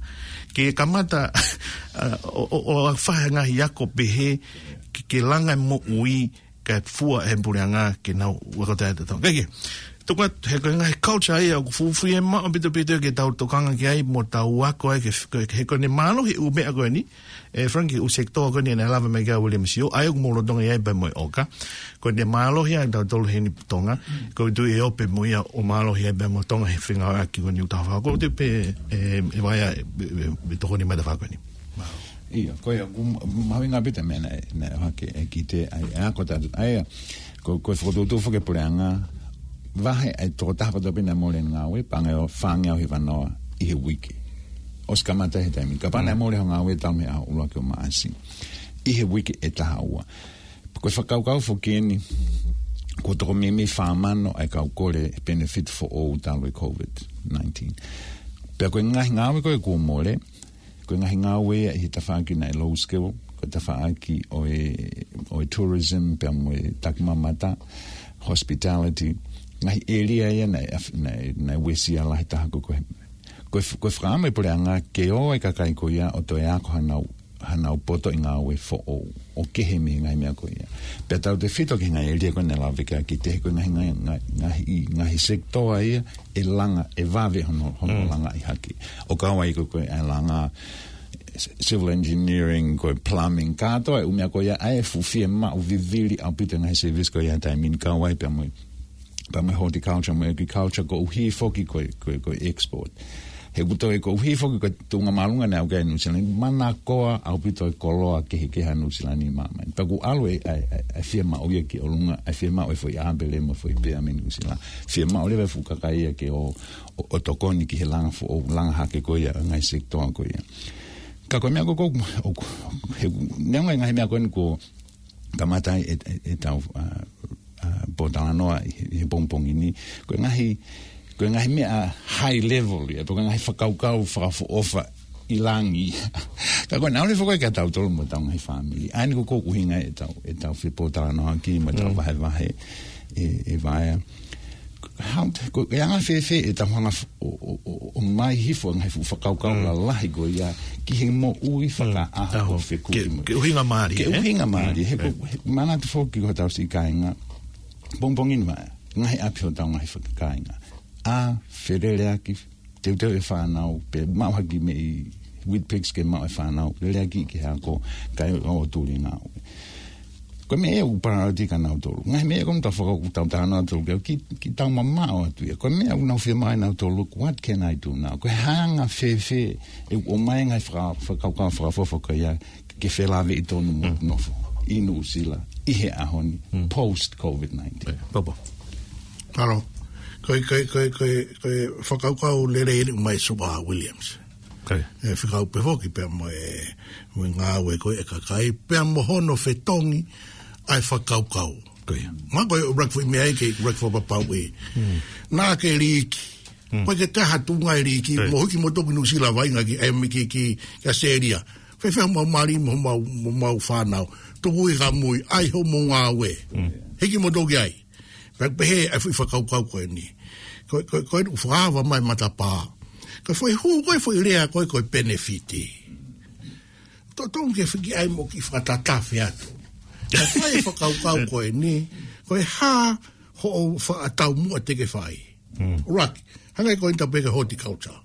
Ke kamata, ʻa, ʻo, ʻo, ʻo fai ha ngaahi ako pehē, ke, ke langa e moʻui, kae fua e puleʻanga ke nau ako taʻetotongi. Kae kehe, tuku atu, he ko e ngaahi culture ia ʻoku fuʻu fiemaʻu ʻaupito ʻaupito ke tau tokanga ki ai mo tau ako ai ke, ke, he ko ʻene mālohi e ʻū meʻa ko eni, ē, Frank, ʻū sector ko eni naʻe lave mai ki ai ʻa William Sio, ʻa ia ʻoku mou lolotonga ʻi ai pea mo e ʻoka. Ko ʻene mālohi ʻa tautolu heni Tonga, ko e tuʻu e ʻope mo ia ʻo mālohi ai pea mo Tonga he fengāueʻaki ko eni ʻoku tau fai. Ko e tuʻu pē, ē, ē, Vaea, ē, ē, ē, tokoni mai ʻetau fā ko eni. ʻIo, ko ia, ʻoku mahuʻinga ʻaupito e meʻa naʻe, naʻe ʻohake ʻe Kite, ʻa e, ʻa e ako taʻetotongi, ʻa ia, ko, ko e fokotuʻutuʻu foki e puleʻanga, vahe ʻa e tokotaha kotoa pē naʻe mole ʻene ngāue, paʻanga ʻe fāngeau hiva noa ʻi he uike. ʻOsi kamata he taimi, kapau naʻe mole hoʻo ngāue talu mei he ʻuluaki ʻo Maʻasi. ʻI he uike ʻe taha ua. Ko e fakakaukau foki eni, kuo toko meimei fā mano ʻa e kau kole e benefit foʻou talu e COVID nineteen. Pea ko e ngaahi ngāue ko ē kuo mole, ko e ngaahi ngāue ia ʻi he tafaʻaki naʻe low skill, ko e tafaʻaki ʻo e, ʻo e tourism, pea mo e takimamata, hospitality, ngaahi ʻēlia ia naʻe, naʻe, naʻe uesia lahi taha ko, ko e, ko e f-, ko e fakaʻamu e puleʻanga ke ō e kakai ko ia ʻo toe ako hanau, hanau poto ʻi ngāue foʻou, ʻo kehe mei he ngaahi meʻa ko ia. Pea tautefito ki he ngaahi ʻēlia ko ē naʻe lave ki ai ʻa Kite, ko e ngaahi, ngaahi, ngaahi, ngaahi, ngaahi sector ia, ʻe langa, ʻe vave hono, hono langa ʻi hake. ʻO kau ai ko, ko e langa, civil engineering, ko e plumbing, kātoa e ʻū meʻa ko ia, ʻa e fuʻu fiemaʻu vivili ʻaupito e ngaahi service ko ia he taimi ni, kau ai pea mo e, pea mo e horticulture, mo e agriculture, koeʻuhi foki ko e, ko e, ko e export. He ʻoku toe koeʻuhi foki ko e tuʻunga māʻolunga naʻe aʻu ki ai ʻa Nuʻusila ni, manakoa ʻaupito e koloa kehekehe ʻa Nuʻusila ni ʻi māmani. Pea ʻoku ʻalu e, ʻa e, ʻa e, ʻa e fiemaʻu ia ki ʻolunga, ʻa e fiemaʻu e foʻi ʻāpele mo e foʻi pea mei Nuʻusila. Fiemaʻu leva e fuʻu kakai ia ke ō, ʻo, ʻo tokoni ki he langa foʻou, langa hake ko ia, ngaahi sector ko ia. Ka ko e meʻa ko ē ʻoku, ʻoku, he, neongo e ngaahi meʻa ko eni kuo kamata ai e, e, ʻetau, ʻa, ʻa, pōtalanoa ʻi he, he pongipongi ni. Ko e ngaahi, ko e ngaahi meʻa high level ia, pe ko e ngaahi fakakaukau fakaʻofoʻofa ʻi langi. Ka ko e naʻa ʻoku lele foki ki he tautolu mo ʻetau ngaahi fāmili. ʻA eni ko ē ʻoku ʻuhinga ʻetau, ʻetau fepōtalanoaʻaki mo ʻetau vahevahe ʻe, ʻe Vaea. How to, ko e anga fēfē ʻetau hanga f-, ʻo, ʻo, ʻo, ʻo mai hifo e ngaahi fuʻu fakakaukau lalahi ko ia ki he moʻui fakaʻaho ʻo fekumi mo. Ke, ke ʻuhinga mālie, ke ʻuhinga mālie, he ko, he manatu foki ko hotau siʻi kāinga. Pongipongi ni Vaea, ngaahi ʻapi hotau ngaahi faka-, kāinga. ʻA, feleleʻaki, teuteu e fānau, pe maʻu hake mei Weet-Bix ke maʻu e fānau, lele ʻaki ki he ako, kae ʻoua ʻe tuli ngāue. Ko e meʻa ʻoku priority kia nautolu. Ngaahi meʻa ko ē ʻoku tau fakakaukau, tau talanoa atu ki, ki, ki tau mamaʻo atu ia. Ko e meʻa ʻoku nau fiemaʻu ʻe nautolu, what can I do now? Ko e hā e anga fēfē ʻeku ʻomai e ngaahi faka-, fakakaukau fakaʻofoʻofa ko ia ke felāveʻi tonu mo nofo ʻi Nuʻusila ʻi he ʻaho ni, post COVID nineteen. Papa. Mālō. Ko e, ko e, ko e, ko e, ko e fakakaukau lelei eni ʻoku ʻomai ʻe Sir Williams. E fekau pē foki pea mo e, mo e ngāue ko ē ʻa e kakai, pea mo hono fetongi ʻa e fakakaukau. Ko ia. Mahalo ko e ʻuluaki foʻi meʻa ia ke ʻuluaki fakapapauʻi. Naʻa ke liiki. Ko e ke te ha tuʻunga e liiki, mo hiki mo toki Nuʻusila vaʻinga ki, ʻai mai ki, ki, ki ʻAositelēlia. Fēfē homau mali mo homau, mo homau fānau. Tuku ʻi kamui, ʻai hoʻomou ngāue. Hiki mo toki ai. Pea pehē ʻa e foʻi fakakaukau ko eni. Ko, ko, ko e ʻū fakaava mai matapā. Ko e foʻi hū, ko e foʻi lea, ko e, ko e penefiti. Totonu ke fiki ai mo ke fakatatafe atu. Ka fai e fakakaukau ko eni, ko e hā hoʻo fakataumuʻa te ke fai. Raki, hangē ko eni ta pehē ki he horticulture.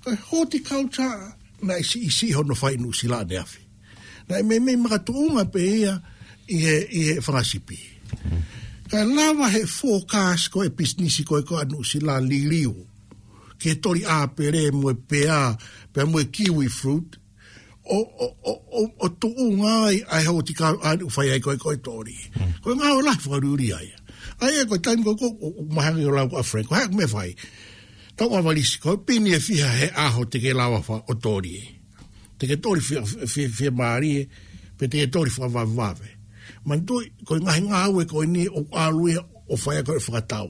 Ko e horticulture, naʻe siʻisiʻi hono fai ʻi Nuʻusila ʻaneafi. Naʻe meimei makatuʻunga pē ia ʻi he, ʻi he fanga sipi. Kae lava he forecast ko e pisinisi ko ē ko ē ʻa Nuʻusila liliu ki he toli ʻāpele mo e pea, pea mo e kiwi fruit. ʻO, ʻo, ʻo, ʻo, ʻo tuʻunga ai ʻa e horticulture ʻoku fai ai ko ē ko e toli. Ko e ngāue lahi fakaliuliu ia. ʻA ia ko e taimi ko ē ʻoku, ʻoku mahaki ʻo lau ʻa Frank, ko e hā e meʻa ʻe fai. Tau ʻavalisi, ko e pini ʻe fiha he ʻaho te ke lava ʻo toli. Te ke toli fie, fie, fiemālie, pe te ke toli fakavavevave. Manatuʻi, ko e ngaahi ngāue ko eni ʻoku ʻalu ia ʻo fai ʻaki e fakatau.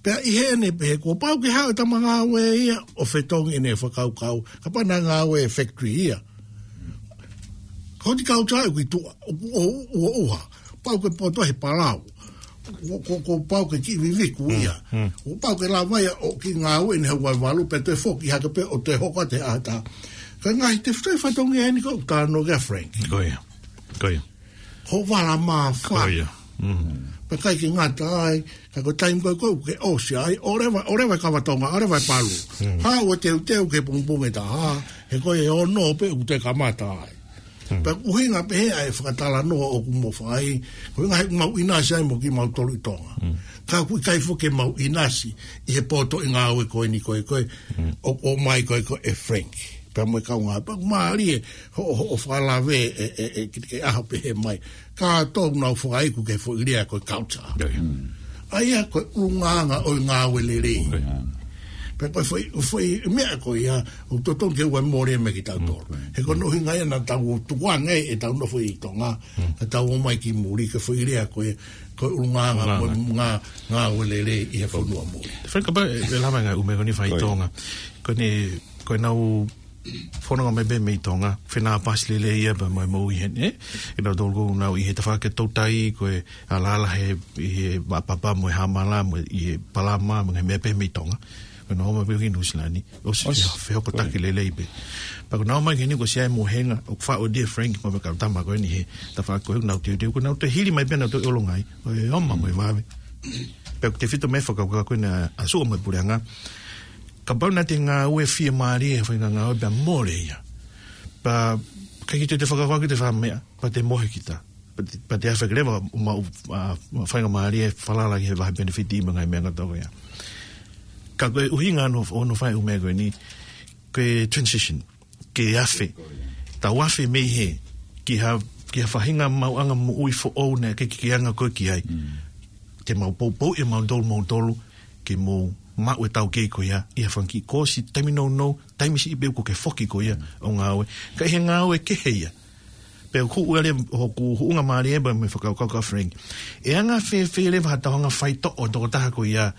Pea ʻi heʻene pehē kuo pau ke haʻu e tama ngāue ia ʻo fetongi ʻene fakakaukau, kapau naʻe ngāue factory ia. Ko e horticulture ʻoku ʻi tuʻa, ʻoku ʻo, ʻo, ʻo ʻuha. Pau ke poto he palau. Ko, ko, ko pau ke kiʻi viviku ia. Ko pau ke lava ia ʻo kiʻi ngāue ʻi he ʻaho valu pea toe foki hake pē ʻo toe hoko atu he ʻaho ʻe taha. Ka ngaahi tefitoʻi fatongia eni ko ē ʻoku talanoa ki ai ʻa Frank. Ko ia. Ko ia. Hoʻo vala mā fā. Ko ia. Pea ʻikai ke ngata ai, ka ko e taimi ko ē ʻoku ke ʻosi ai, ʻoleva, ʻoleva e kava Tonga, ʻoleva e palu. Haʻu ʻo teuteu ki he pongipongi ʻe taha, he ko e ono pē ʻoku te kamata ai. Pea ʻuhinga pē he ʻa e fakatalanoa ʻoku mo fai, ko e ngaahi ʻoku mau ʻinasi ai mo kimautolu ʻi Tonga. Ka ʻoku ʻikai foki ke mau ʻinasi ʻi he poto ʻi ngāue ko eni ko ē ko ē, ʻo, ʻomai ko ē ko ē ʻe Frank. Pea mo e kaungā, pea ʻoku mālie, hoʻo, hoʻo fakalave ʻe, ʻe, ʻe, ki he ʻaho pehē mai. Ka tau nau fakaiku ki he foʻi lea ko e culture. ʻA ia ko e ʻulungaanga ʻo e ngāue lelei. Pea ko e foʻi, foʻi meʻa ko ia, ʻoku totonu ke ʻoua ʻe mole mei kitautolu. He ko hono ʻuhinga ia naʻa tau tukuange ʻetau nofo ʻi Tonga, ka tau ō mai ki muli ki he foʻi lea ko ia, ko e ʻulungaanga mo e ngā, ngāue lelei ʻi he fonua muli. Frank, kapau ʻe, ʻe lava e ngaahi ʻū meʻa ko eni fai ʻi Tonga. Ko eni, ko ʻenau fononga mai pē mei Tonga, fenāpasi lelei ia pea mo e moʻui heni, ē? ʻEnautolu ʻoku nau ʻi he tafaʻaki toutai, ko e alala he, ʻi he Vaʻa Papa mo e Hamala, mo e ʻi he Palama, mo e ngaahi meʻa pehē mei Tonga. Ko ʻenau ō mai pē ki Nuʻusila ni, ʻosi fe-, fehokotaki lelei pē. Pea ko ʻenau ō mai ki heni ko e sia e mohenga, ʻoku faʻo dia Frank, mo e kau tama ko eni he tafaʻaki ko ē, nau teuteu, ko ʻenau toe hili mai pē nau toe ʻolunga ai, ʻo e ʻoma mo e vave. Pea ʻoku tefito mei he fakakaukau ko ena ʻa Sua mo e puleʻanga, kapau naʻa te ngāue fiemālie he faʻahinga ngāue pea mole ia. Pea ʻikai ke te, te fakakaukau ki te fakameʻa, pea te mohe kita. Pea te, pea te afe ke leva ʻo maʻu, ʻa, faʻahinga mālie falala ki he vahe penefiti mo e ngaahi meʻa kotoa ia. Ka ko e ʻuhinga hono, hono fai e ʻū meʻa ko eni, ko e transition. Ke afe. Tau afe mei he, ki ha, ki ha faʻahinga maʻuʻanga moʻui foʻou naʻe ʻikai ke ke anga koe ki ai. Te mau poupou ʻe mautolu, mautolu, ke mou maʻu e taukei ko ia, ʻi ha fanga kiʻi kosi, taimi nounou, taimi siʻi pē kuo ke foki ko ia, ʻo ngāue. Ka ʻi he ngāue kehe ia. Pea ʻoku ʻuale hoku huʻunga mālie pea mo e fakakaukau ʻa Frank. ʻE anga fēfē leva haʻatau hanga faitoʻo e tokotaha ko ia,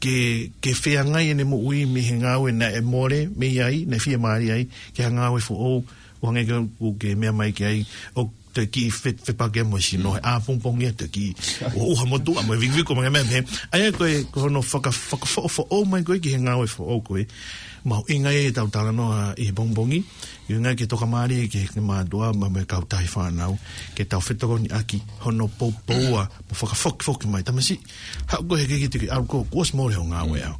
ke, ke feangai ʻene moʻui mei he ngāue naʻe mole mei ai, naʻe fiemālie ai, ki ha ngāue foʻou, ʻo hangē ko ē ʻoku ke meʻa mai ki ai, ʻo te kiʻi fe-, fepaki mo e sino, he ʻapongipongi ia te kiʻi ʻuha motuʻa mo e vikiviki mo e ngaahi meʻa pehē. ʻA ia ko e, ko hono faka-, fakafoʻofoʻou mai ko ē ki he ngāue foʻou ko ē. Mahuʻinga ia ʻetau talanoa ʻi he pongipongi, ʻuhinga ke tokamālie ki he mātuʻa mo e, mo e kautaha fānau, ke tau fetokoniʻaki hono poupoua mo fakafokifoki mai. Tamasiʻi, haʻu koe he ʻikai ke te ke ʻalu koe, kuo ʻosi mole hoʻo ngāue au.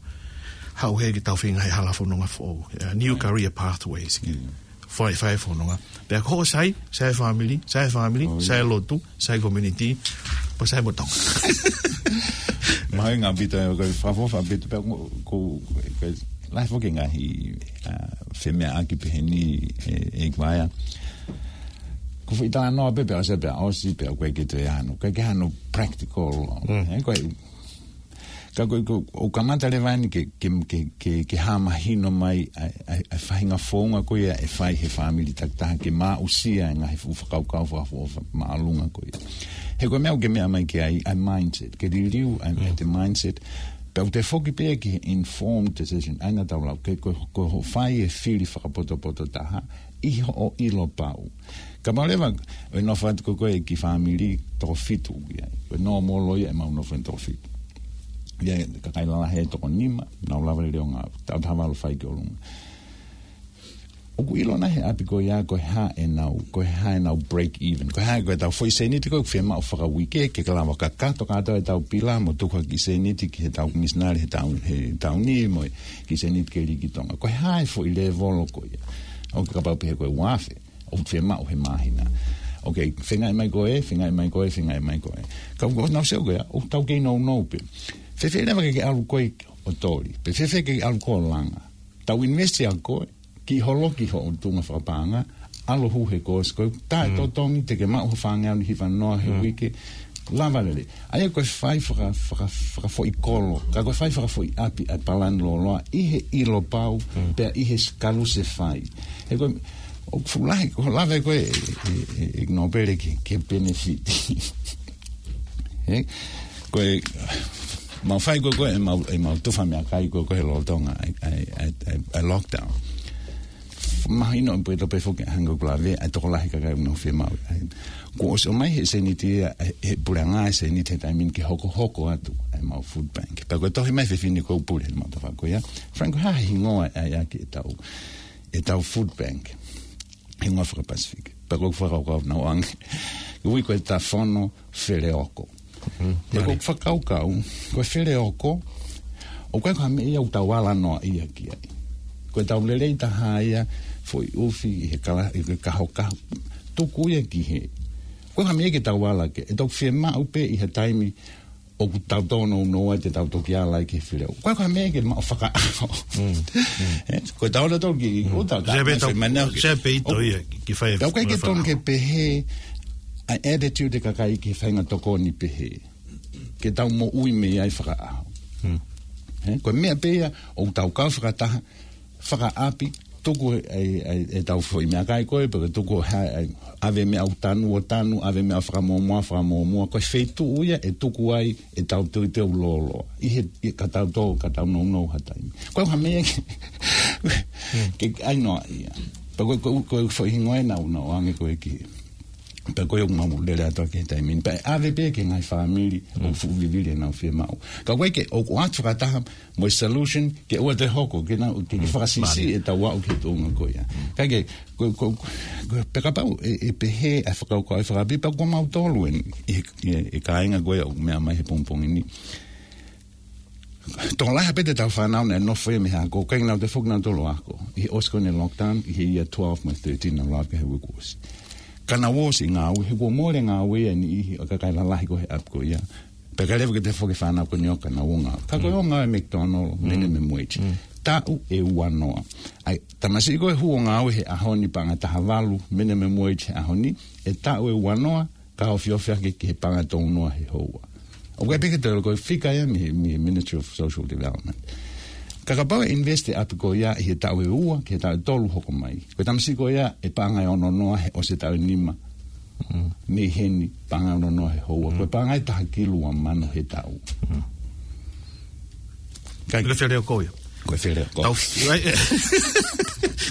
Haʻu hē ke tau feinga he hala fononga foʻou. Uh, new career pathways. Fai, fai fononga. Pea ko hoʻo sai, sai fāmili, sai fāmili, sai lotu, sai community, pea sai mo Tonga. Mahalo ngā pita, ko e fakafoʻou pita, pea ko, ko, ko, lahi foki ngaahi, uh, femeʻaʻaki pehē ni, e, e kuaea. Ko foʻi talanoa pē, pea ʻosi, pea ʻosi, pea ko e ke te ano. Ko e ke ano practical. E, ko e, ka ko, ko, ʻo kamata leva ni ke, ke, ke, ke, ke hā mahino mai ʻa e, ʻa e, ʻa e faʻahinga founga ko ia ʻe fai he fāmili takitaha ke maʻusia e ngaahi fuʻu fakakaukau fakafoʻou māʻolunga ko ia. He ko e meʻa ʻoku ke meʻa mai ki ai, ʻa e mindset, ke liliu ʻa e, ʻa e mindset, pea ʻoku te foki pē ki he informed decision, ʻa ia naʻa tau lau, ke ko, ko hoʻo fai e fili fakapotopoto taha, ʻi hoʻo ʻilo pau. Ka mau leva, ʻo e nofo atu ko koe ki fāmili toko fitu ki ai. Ko e nōmolo ia ʻemau nofo ʻi toko fitu. Ia, kakai lalahi ʻe toko nima, nau lava lele ʻo ngāue. Taʻu taha valu fai ki ʻolunga. ʻOku ʻilo nai he ʻapi ko ia, ko e hā ʻenau, ko e hā ʻenau break even. Ko e hā, ko ʻetau foʻi sēniti ko ē ʻoku fiemaʻu fakauike, ke ka lava kakato kātoa ʻetau pila, mo tuku ha kiʻi sēniti ki heʻetau misinale, he taʻu, he taʻu ni, mo e kiʻi sēniti ke lī ki Tonga. Ko e hā e foʻi lēvolo ko ia. ʻOku kapau pehē ko e ua afe, ʻoku fiemaʻu he māhina. Ok, feingaʻi mai ko ē, feingaʻi mai ko ē, feingaʻi mai ko ē. Ka ʻoku nau sio ko ia, ʻoku tau kei nounou pē. Fēfē leva ke ke ʻalu koe ʻo toli. Pea fēfē ke ke ʻalu koe ʻo langa. Tau invest ʻa koe, kiʻi holo ki hoʻo tuʻunga fakapaʻanga, ʻalu hū he course ko ē, taʻetotongi te ke maʻu ha fāngeau ni hiva noa he uike, lava lele. ʻA ia ko e fai faka-, faka-, fakafoʻi kolo, ka ko e fai fakafoʻi ʻapi ʻa e palani lōloa, ʻi he ʻilo pau, pea ʻi he s-, kalu se fai. He ko e, ʻoku fuʻu lahi, ko e lave ko ē, e, e, e, e nōpele ki, ki he benefit. He, ko e, mau fai ko ē, ko ē, ʻemau, ʻemau tufa meʻakai ko ē, ko ē he lolotonga, ʻa e, ʻa e, ʻa e, ʻa e, ʻa e lockdown. Mahino ʻoku pē tope foki hangē ko e lave, ʻa e tokolahi kakai ʻoku nau fiemaʻu. ʻA e, kuo ʻosi ʻomai he sēniti ia, ʻe, ʻe he puleʻanga e sēniti he taimi ni ke hokohoko atu ʻa ʻemau food bank. Pea ko e tohi mai fefine ko ē ʻoku pule he mau tafa ko ia. Frank, ko e hā e hingoa ʻa ia ki ʻetau, ʻetau food bank. Hingoa faka-Pasifiki. Pea ko e fakakaukau naʻa ku ʻoange. Ui ko e Tafono Feleoko. He ko e fakakaukau, ko e feleoko, ʻoku ʻikai ko ha meʻa ia ʻoku tau ala noa ia ki ai. Ko ʻetau lelei taha ia, foʻi ʻufi, ʻi he kala, ʻi he kahokaho, tuku ia ki hē. ʻOku ʻikai ko ha meʻa ia ke tau ala ki ai, ʻe tau fiemaʻu pē ʻi ha taimi, ʻoku tau tōnounou ai te tau toki ala ai ki he feleoko. ʻOku ʻikai ko ha meʻa ia ke maʻu fakaʻaho. E, ko ʻetau ala tau ki, ʻo tau, se pē tau, se pē ʻi tō ia, ki fai. Tau ʻikai ke tonu ke pehē, ʻa e attitude e kakai ki he faʻahinga tokoni pehē. Ke tau moʻui mei ai fakaʻaho. He, ko e meʻa pē ia, ʻoku tau kau fakataha, fakaʻapi, tuku e, e, e, ʻetau foʻi meʻakai ko ē, pe ko e tuku ha, e, ʻave meʻa ʻoku tanu ʻo tanu, ʻave meʻa fakamuʻomuʻa, fakamuʻomuʻa, ko e feituʻu ia, ʻe tuku ai, ʻetau teuteu lōloa. ʻI he, ʻi ka tau tō, ka tau nounou ha taimi. Ko e ha meʻa ke, ke ʻai noa ia. Pea ko e, ko e, ko e foʻi hingoa ē naʻa ku, naʻa ku ʻoange ko ē ki hē. Pea ko ia ʻoku mau lele atu ki he taimi ni. Pea ʻe ʻave pē ki he ngaahi fāmili ʻoku fuʻu vivili ʻenau fiemaʻu. Ka ko e ke, ʻoku ʻoatu fakataha mo e solution, ke ʻoua te hoko, ke na, ke, ke fakasiʻisiʻi ʻetau aʻu ki he tuʻunga ko ia. Ka ke, ko, ko, ko, pea kapau ʻe, ʻe pehē ʻa e fakakaukau ʻa e fakaʻapi, pea ko mautolu eni, ʻi he, ʻi he, ʻi he kāinga ko ia ʻoku meʻa mai he pongipongi ni. Tokolahi pē ʻetau fānau naʻe nofo ia mei he ako, ʻikai ke nau toe foki nautolu ʻo ako. ʻI he ʻosi ko eni e lockdown, ʻi he year twelve mo e thirteen naʻa nau lave ki ai he uike kuo ʻosi. Ka nau ō ʻo ngāue, he kuo mole ngāue ia ʻa e niʻihi ʻo e kakai lalahi ko ē he ʻapi ko ia. Pea ʻikai leva ke toe foki e fānau ko eni ʻo ka nau ō ngāue. Ka ko e ō ngāue e McDonald, minimum wage. Taʻu ʻe uanoa. ʻA e tamasiʻi ko ē ʻoku ō ngāue he ʻaho ni paʻanga taha valu, minimum wage he ʻaho ni, ʻe taʻu ʻe uanoa, ka ofiofi hake ki he paʻanga tolu noa he houa. ʻOku ʻikai pē ke toe ʻilo ko e fika ia mei, mei he Ministry of Social Development. Ka kapau ʻe invest e ʻapi ko ia ʻi he taʻu ʻe ua, ki he taʻu ʻe tolu hoko mai. Ko e tamasiʻi ko ia ʻe paʻanga ʻe ono noa he ʻosi e taʻu ʻe nima. Mei heni paʻanga ʻe ono noa he houa. Ko e paʻanga ʻe taha kilu ua mano he taʻu. Kai. Ko e feleoko ia. Ko e feleoko. Tau, ai, e.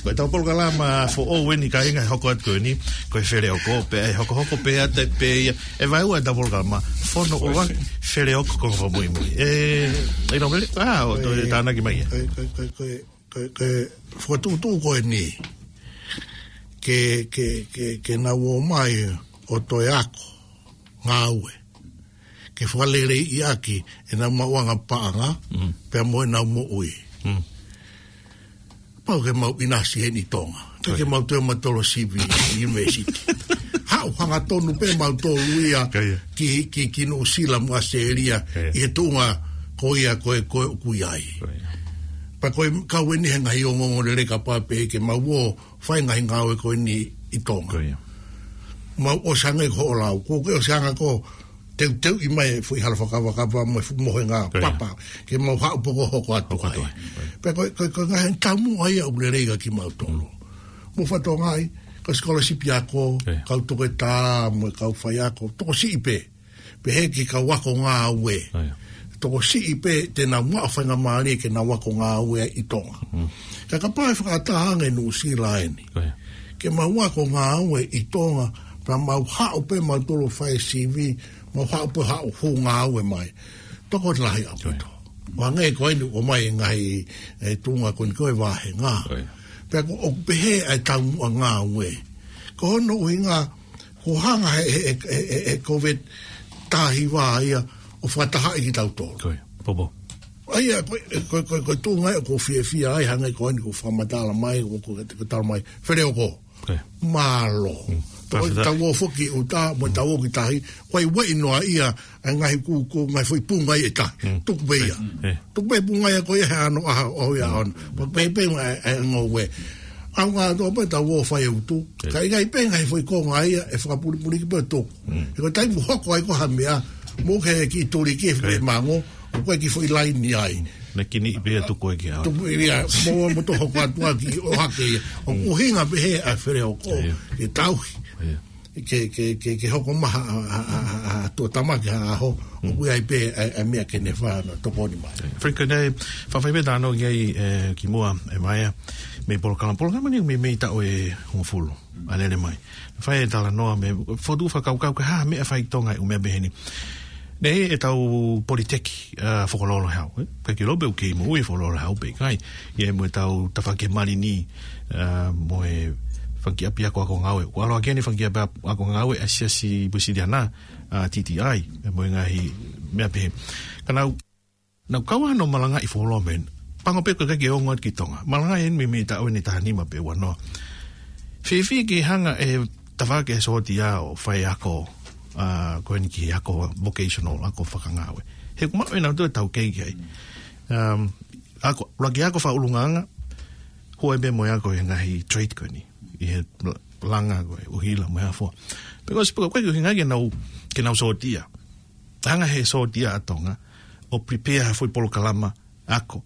Ko ʻetau polokalama foʻou eni kāinga ʻe hoko atu ko eni, ko e feleoko, pea ʻe hokohoko pē atu pē ia, ʻe vaeua ʻetau polokalama, fono ua, feleoko ko e fakamuimui. E, ʻi nōmele, a, ʻo toe tānaki mai ia. Ko e, ko e, ko e, ko e, ko e, ko e, fokotuʻutuʻu ko eni, ke, ke, ke, ke nau ō mai ʻo toe ako, ngāue. Ke fakaleleiʻi ʻaki ʻenau maʻuʻanga paʻanga, pea mo ʻenau moʻui. Mm. Pau ke mau ʻinasi heni ʻi Tonga. Ka ke Ko ia. mau toe mautolu sivi university. Haʻu hangatonu pē mautolu ia Ko ia. ki, ki, ki Nuʻusila mo ʻAositelēlia Ko ia. ʻi he tuʻunga ko ia ko e, ko e ʻoku ʻi ai. Ko ia. Pea ko e kau eni he ngaahi ongoongolelei kapau pē ke mau ō fai ngaahi ngāue ko eni ʻi Tonga. Ko ia. Mau ʻosi hangē ko hoʻo lau. Ko ke ʻosi hanga ko teuteuʻi mai e foʻi hala fakavakava mo e fuʻu mohenga Ko ia. papa. Ke mau haʻu pē ko e hoko atu Hoko atu ai. ai. Ko ia. Pea ko e, ko e, ko e ngaahi taumuʻa ia ʻoku lelei kia kimautolu. Mou fakatokangaʻi, ko e scholarship ako, Ko ia. kau toketā, mo e kau faiako, tokosiʻi pē. Pehē ki he kau ako ngāue. Ko ia. Tokosiʻi pē te nau maʻu faingamālie ke nau ako ngāue ʻi Tonga. Mm. Ka kapau ʻe fakataha ange Nuʻusila eni. Ko ia. Ke mau ako ngāue ʻi Tonga, pea mau haʻu pē mautolu fai sivi, mau haʻu pē haʻu hū ngāue mai. Tokolahi ʻaupito. Ko ia. ʻO hangē ko eni ʻoku ʻomai e ngaahi, e, tuʻunga ko eni ko e vāhenga. Ko ia. Pea ko, ʻoku pehē ʻa e taumuʻa ngāue. Ko hono ʻuhinga, ko e hanga he, he, he, he, he COVID taha hiva ia ʻo fakatahaʻi kitautolu. Ko ia, popo. ʻA ia, ko, ko, ko, ko e tuʻunga ia ʻoku ou fiefia ai, hangē ko eni ʻoku fakamatala mai, ʻoku, ʻoku, ʻoku tala mai, Feleoko. Ko ia. Mālō. Mm. Tau, Fakafetaʻi. tau ō foki ʻuta, mo Mm. tau ō ki tahi, ko e ueʻi noa ia, ʻa e ngaahi kū, kū, ngaahi foʻi punga ia ʻe taha. Mm. Tuku pē ia. Eh. Tuku pē punga ia ko ia he ʻaho, ʻaho ia Mm. ʻaho. Pea pē pē ngā, e, e ngoue. ʻAuʻanga atu pē tau ō fai e utu. Eh. Ka ʻikai pē ngaahi foʻi konga ia, ʻe fakapulipuli ki pē tuku. Mm. He ko e taimi hoko ai ko ha meʻa, mou ke kiʻi tuli ki he foʻi Eh. mango, ʻoku ʻikai ke foʻi laini ai. Na kini i pea tuku ai ki au. Tuku ia, mo, mo tō hoko atu ʻaki ʻo hake ia. ʻOku Mm. ʻuhinga pē he ʻa Feleoko, Ia. ke tauhi. Ia. Ke, ke, ke, ke hoko mai ha, ha, ha, ha, ha tuʻutāmaki ha ʻaho, Mm. ʻoku ʻi ai pē ʻa, ʻa e meʻa ke ne fai hono tokoni mai. Ia. Frank, ko e fafai pē tāno ki ai, e, kimuʻa, e Vaea, mei he polokalama, polokalama ni mei, mei he taʻu ʻe hongofulu ʻa lele mai. Fai e talanoa mei he fotu fakakaukau ko e hā e meʻa fai ʻi Tonga ʻi he ʻū meʻa pehē ni. Naʻe ʻi ai ʻetau Politeki, a, Fokololo he ʻaho, e? Ka ke lōpē ʻoku kei moʻui e Fokololo he ʻaho pe ʻikai. ʻI ai mo ʻetau tafaʻaki malini, a, mo e fanga kiʻi ʻapiako ako ngāue. ʻOku ʻalu hake eni e fanga kiʻi ʻapiako ako ngāue ʻa e Siasi Uēsiliana, a, T T I, e mo e ngaahi meʻa pehē. Ka nau Nau kau ai hono malangaʻi Fokololo mei heni. Pango pē ko e ʻikai ke ongo atu ki Tonga. Malangaʻi eni mei, mei he taʻu eni taha nima pe ua noa. Fiefia ke hanga e tafaʻaki e sōtia ʻo fai ako, a, ko eni ki he ako vocational, ako fakangāue. He ʻoku maʻu ʻenautolu e taukei ki ai. Um, ako, ʻuluaki ako fakaʻulungaanga, hū ai pē mo e ako he ngaahi trade ko eni. ʻI he langa ko e ʻuhila mo e hā fua. Pea ko e sipa ko e ʻuhinga ke nau, ke nau sōtia. Hanga he sōtia ʻa Tonga ʻo prepare ha foʻi polokalama ako.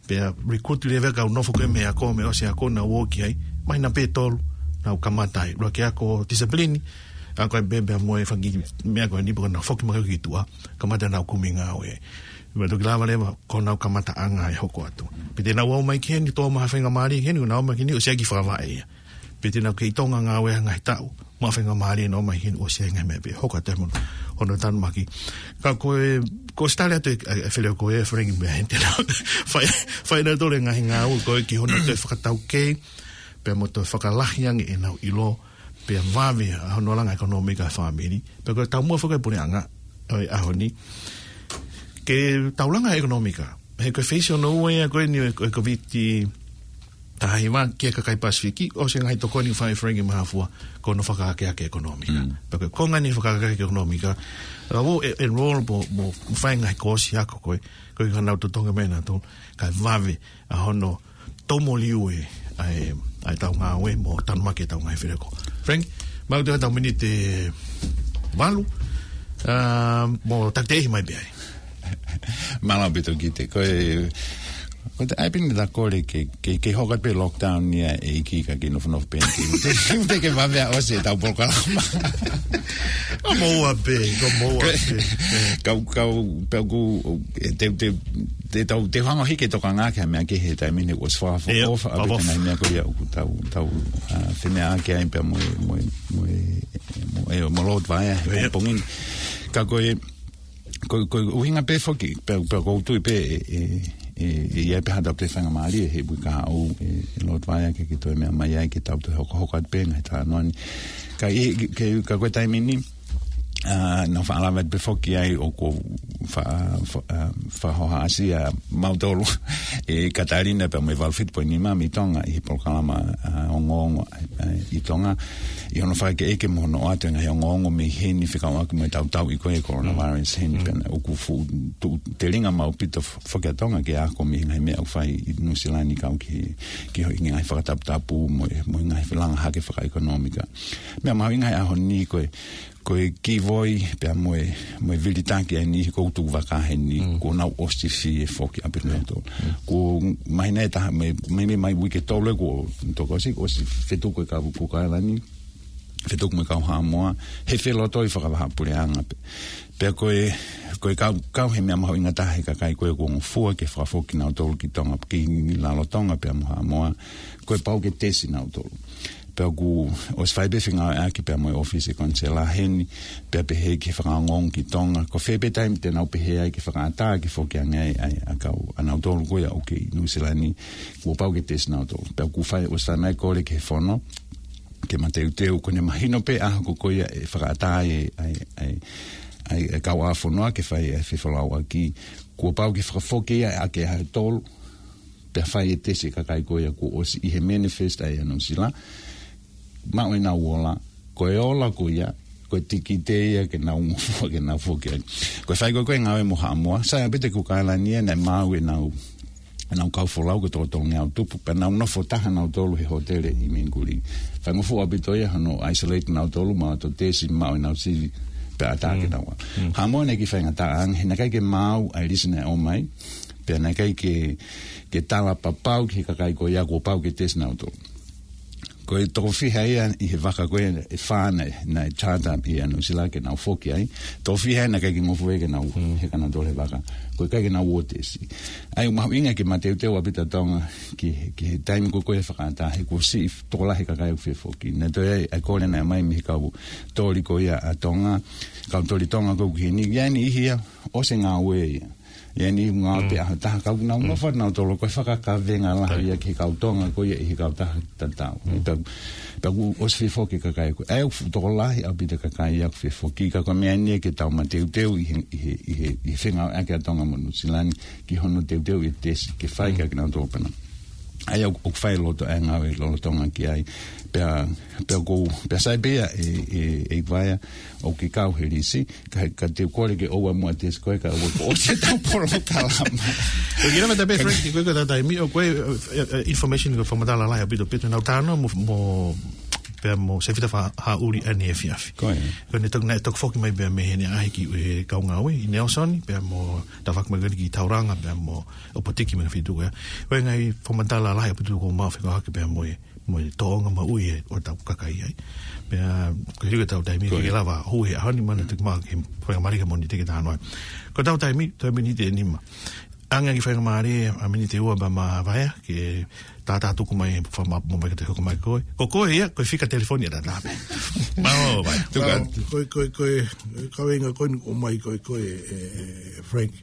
Pea recruit leva e kau nofo ko ē mei he ako, mei he ʻosi ako naʻa nau ō ki ai. Māhina pē ʻe tolu, nau kamata ai. ʻUluaki ako discipline, ako e bebe mo e fanga kiʻi meʻa ko eni pea nau foki mai ki tuʻa. Kamata nau kumi ngāue. Pea toki lava leva ko honau kamataʻanga e hoko atu. Pea te nau ō mai ki heni, tō mai ha faingamālie ki heni, nau ō mai ki heni, ʻosi ʻai ke fakavaʻe ia. Pea te nau kei Tonga ngāue he ngaahi taʻu. Maʻu faingamālie nau ō mai heni ʻosi ʻai e ngaahi meʻa pē. Hoko atu mo hono tanumaki. Ka ko e, ko e sitale atu e, e, e Feleoko e Frank mei heni te nau. Fai, fai ʻenautolu e ngaahi ngāue ko ē ki hono toe fakataukei. Pea mo toe fakalahi ange ʻenau ʻilo. Pea vave ʻa hono langa ʻekonōmika e fāmili. Pea ko e taumuʻa foki e puleʻanga ʻo e ʻaho ni. Ke tau langa e ʻekonōmika. He ko e feisi hono ua ia ko eni ʻo e, ʻo e COVID taha hiva ki he kakai Pasifiki, ʻosi e ngaahi tokoni fai Frank mo e hā fua, ko hono fakaakeake ʻekonōmika. Mm. Pea ko e konga eni e fakaakeake ʻekonōmika, ʻa ō e, enroll mo, mo fai e ngaahi kōsi ako ko ē, ko e ka nau totongi mai nautolu, kae vave ʻa hono tomo liu e, ʻa e, ʻa e tau ngāue mo tanumaki e tau ngaahi Feleoko. Frank, mau te tau miniti valu, a, mo takiteʻi mai pē ai. Mālō ʻaupito Kite, ko e, ko e ʻai pē eni ʻeta kole ke, ke, ke hoko atu pē lockdown ia ʻEiki ka ke nofonofo pē eni. Te, te ke vave ʻa ʻosi e tau polokalama. Ko moua pē, ko moua Ko e, pē. Kau, kau, pea ku, e, te, te, te tau, te hanga hiki e tokanga ki ha meʻa kehe he taimi ni ʻoku ʻosi fakaʻofoʻofa ʻaupito e ngaahi meʻa ko ia ʻoku tau, tau, a, fiemaʻu ki ai pea mo e, mo e, mo e, mo e, mo Lord Vaea he pongipongi ni. Ka ko e, Ko, ko e ʻuhinga pē foki, pea, pea ʻoku ou tui pē, e, e, e, e, ʻi ai pē ha tau toe faingamālie, he ʻoku ʻikai haʻu, e, e Lord Vaea ke, ke toe meʻa mai ai, ke tau toe hokohoko atu pē ngaahi talanoa ni. Ka ʻi, ke, ka ko e taimi ni, a, nau faʻa lave atu pē foki ai ʻoku fa, fa, a, fakahohaʻasi ʻa mautolu. ʻe Katalina pea mo e valu fitu poini nima mei Tonga ʻi he polokalama, ʻa, ongoongo, ʻa, ʻi Tonga. ʻI hono fakaʻekeʻeke mo hono ʻoatu e ngaahi ongoongo mei heni fekauʻaki mo e tautauʻi ko ē coronavirus heni pea naʻe ʻoku fuʻu tuʻu telinga maʻu ʻaupito fo-, foki ʻa Tonga ke ako mei he ngaahi meʻa ʻoku fai ʻi Nuʻusila ni kau ki he, ki he ngaahi fakataputapu mo e, mo e ngaahi langa hake fakaʻekonōmika. Meʻa mahuʻinga he ʻaho ni ko e, ko e kivoi pea mo e, mo e vilitaki ʻa e niʻihi ʻoku tuku vaka heni, kuo nau ʻosi fie foki ʻaupito nautolu. Kuo mahino ʻe taha, mei, mei, mei, mei he uike ʻe tolu ē kuo toki ʻosi, ʻosi fetuku e kau Kukaila ni, fetuku mo e kau Haʻamoa, he felotoi fakavahaʻapuleʻanga pē. Pea ko e, ko e kau, kau he meʻa mahuʻinga taha he kakai ko ē kuo ngofua ke fakafoki nautolu ki Tonga, ki lalo Tonga pea mo Haʻamoa, kuo pau ke tesi nautolu. Pea kuo ʻosi fai pē fengāueʻaki pea mo e ʻōfisi konisela heni, pea pehē ki he fakaongoongo ki Tonga. Ko fē pē taimi te nau pehē ai ke fakaʻatā ke foki ange ai, ai ʻa e kau ʻanautolu ko ia ʻoku kei ʻi Nuʻusila ni, kuo pau ke tesi nautolu. Pea kuo fai, ʻosi fai mai e kole ki he fono, ke mateuteu, ko ʻene mahino pē ʻaho ko ia ʻe fakaʻatā ai, ai, ai, ai, ai kau ʻa e fonua ke fai e fefolauʻaki, kuo pau ke fakafoki ia ʻaki e ʻaho ʻe tolu, pea fai e tesi e kakai ko ia kuo ʻosi ʻi he manifest ʻa e Nuʻusila. Maʻu ʻenau ola, ko e ola ko ia, ko e tikite ia ke nau ngofua ke nau foki ai. Ko e fai ko ē ko e ngāue mo Haʻamoa, sai ʻaupito e Kukaila ni ia naʻe maʻu ʻenau, ʻenau kau folau ko e toko tolungeau tupu, pea nau nofo taha nautolu he hōtele ʻi Mingulini. Faingofua ʻaupito ia hono isolate nautolu, maʻu ʻenau tesi, maʻu ʻenau sivi, pea ʻatā ke nau ō. Haʻamoa naʻe kei faingataʻa ange, he naʻe ʻikai ke maau ʻa e lisi naʻe ʻomai, pea naʻe ʻikai ke, ke tala papau ki he kakai ko ia kuo pau ke tesi nautolu. Ko e toko fiha ia ʻi he vaka ko ē ʻe fā naʻe, naʻe charter ʻe Nuʻusila ke nau foki ai. Toko fiha ia naʻe ʻikai ke ngofua ke nau heka nautolu he vaka. Ko e ʻikai ke nau ō tesi. ʻA ia ʻoku mahuʻinga ke mateuteu ʻaupito ʻa Tonga ki, ki he taimi ko ē ko ē fakaʻatā he kuo siʻi tokolahi e kakai ʻoku fie foki. Naʻe toe ʻi ai ʻa e kole naʻe ʻomai mei he kau toli ko ia ʻa Tonga, kau toli Tonga ko ē ʻoku ʻi heni, ʻi ai e niʻihi ia ʻosi e ngāue ia. ʻI ai e niʻihi ngāue pē ʻaho ʻe taha, ka ʻoku nau nofo nautolu ko e fakakavenga lahi ia ki he kau Tonga ko ia ʻi he kautaha tatau. Pea, pea kuo ʻosi fie foki e kakai ko ē. ʻA ia ʻoku fuʻu tokolahi ʻaupito e kakai ia ʻoku fie foki, ka ko e meʻa eni ia ke tau mateuteu ʻi he, ʻi he, ʻi he, ʻi he fengāueʻaki ʻa Tonga mo Nuʻusila ni ki hono teuteu e tesi ke fai kiate kinautolu pē na. ʻA ia ʻoku, ʻoku fai loto ʻa e ngāue lolotonga ki ai. Pea, pea ʻoku, pea sai pē ia ʻe, ʻe, ʻe Vaea ʻoku ke kau he lisi, ka, ka te u kole ke ʻoua muʻa tesi koe ka ʻoua kuo ʻosi ʻetau polokalama. Ko e kiʻi lava ta pē, Frank, ko e, ko e tau taimi, ʻo ko e, ē, ē, information ko e fakamatala lahi ʻaupito ʻaupito, nau talanoa mo, mo, pea mo Sefita Fa-, Haʻuli ʻaneefiafi. Ko ia. Ko ʻene toki, naʻe toki foki mai pea mei heni ʻaʻahi ki he kau ngāue ʻi Nelson, pea mo tafaʻaki mai ko eni ki Tauranga, pea mo ʻOpotiki mo e ngaahi feituʻu ko ia. Ko e ngaahi fakamatala lahi ʻaupito kuo mau fekauʻaki pea mo e, mo e tōʻonga maʻu ia ʻo ʻetau kakai ai. Pea, ko e hili ko ʻetau taimi, ko ia, ke lava hū he ʻaho ni, mana toki mau ke faingamālie ke mau ni te ke talanoa. Ko ʻetau taimi, toe miniti ʻe nima. Hangē ha kiʻi faingamālie, ʻa e miniti ʻe ua pea mo Vaea, ke tātātuku mai, fama-, mo mai ka te hoko mai koe. Ko koe ia, ko e fika telefoni ʻe taha pē. Mālō, Vaea. Tuku atu. Mālō, ko e, ko e, ko e, kaveinga ko eni ʻoku ʻomai ko ē, ko e, ē, ē, Frank.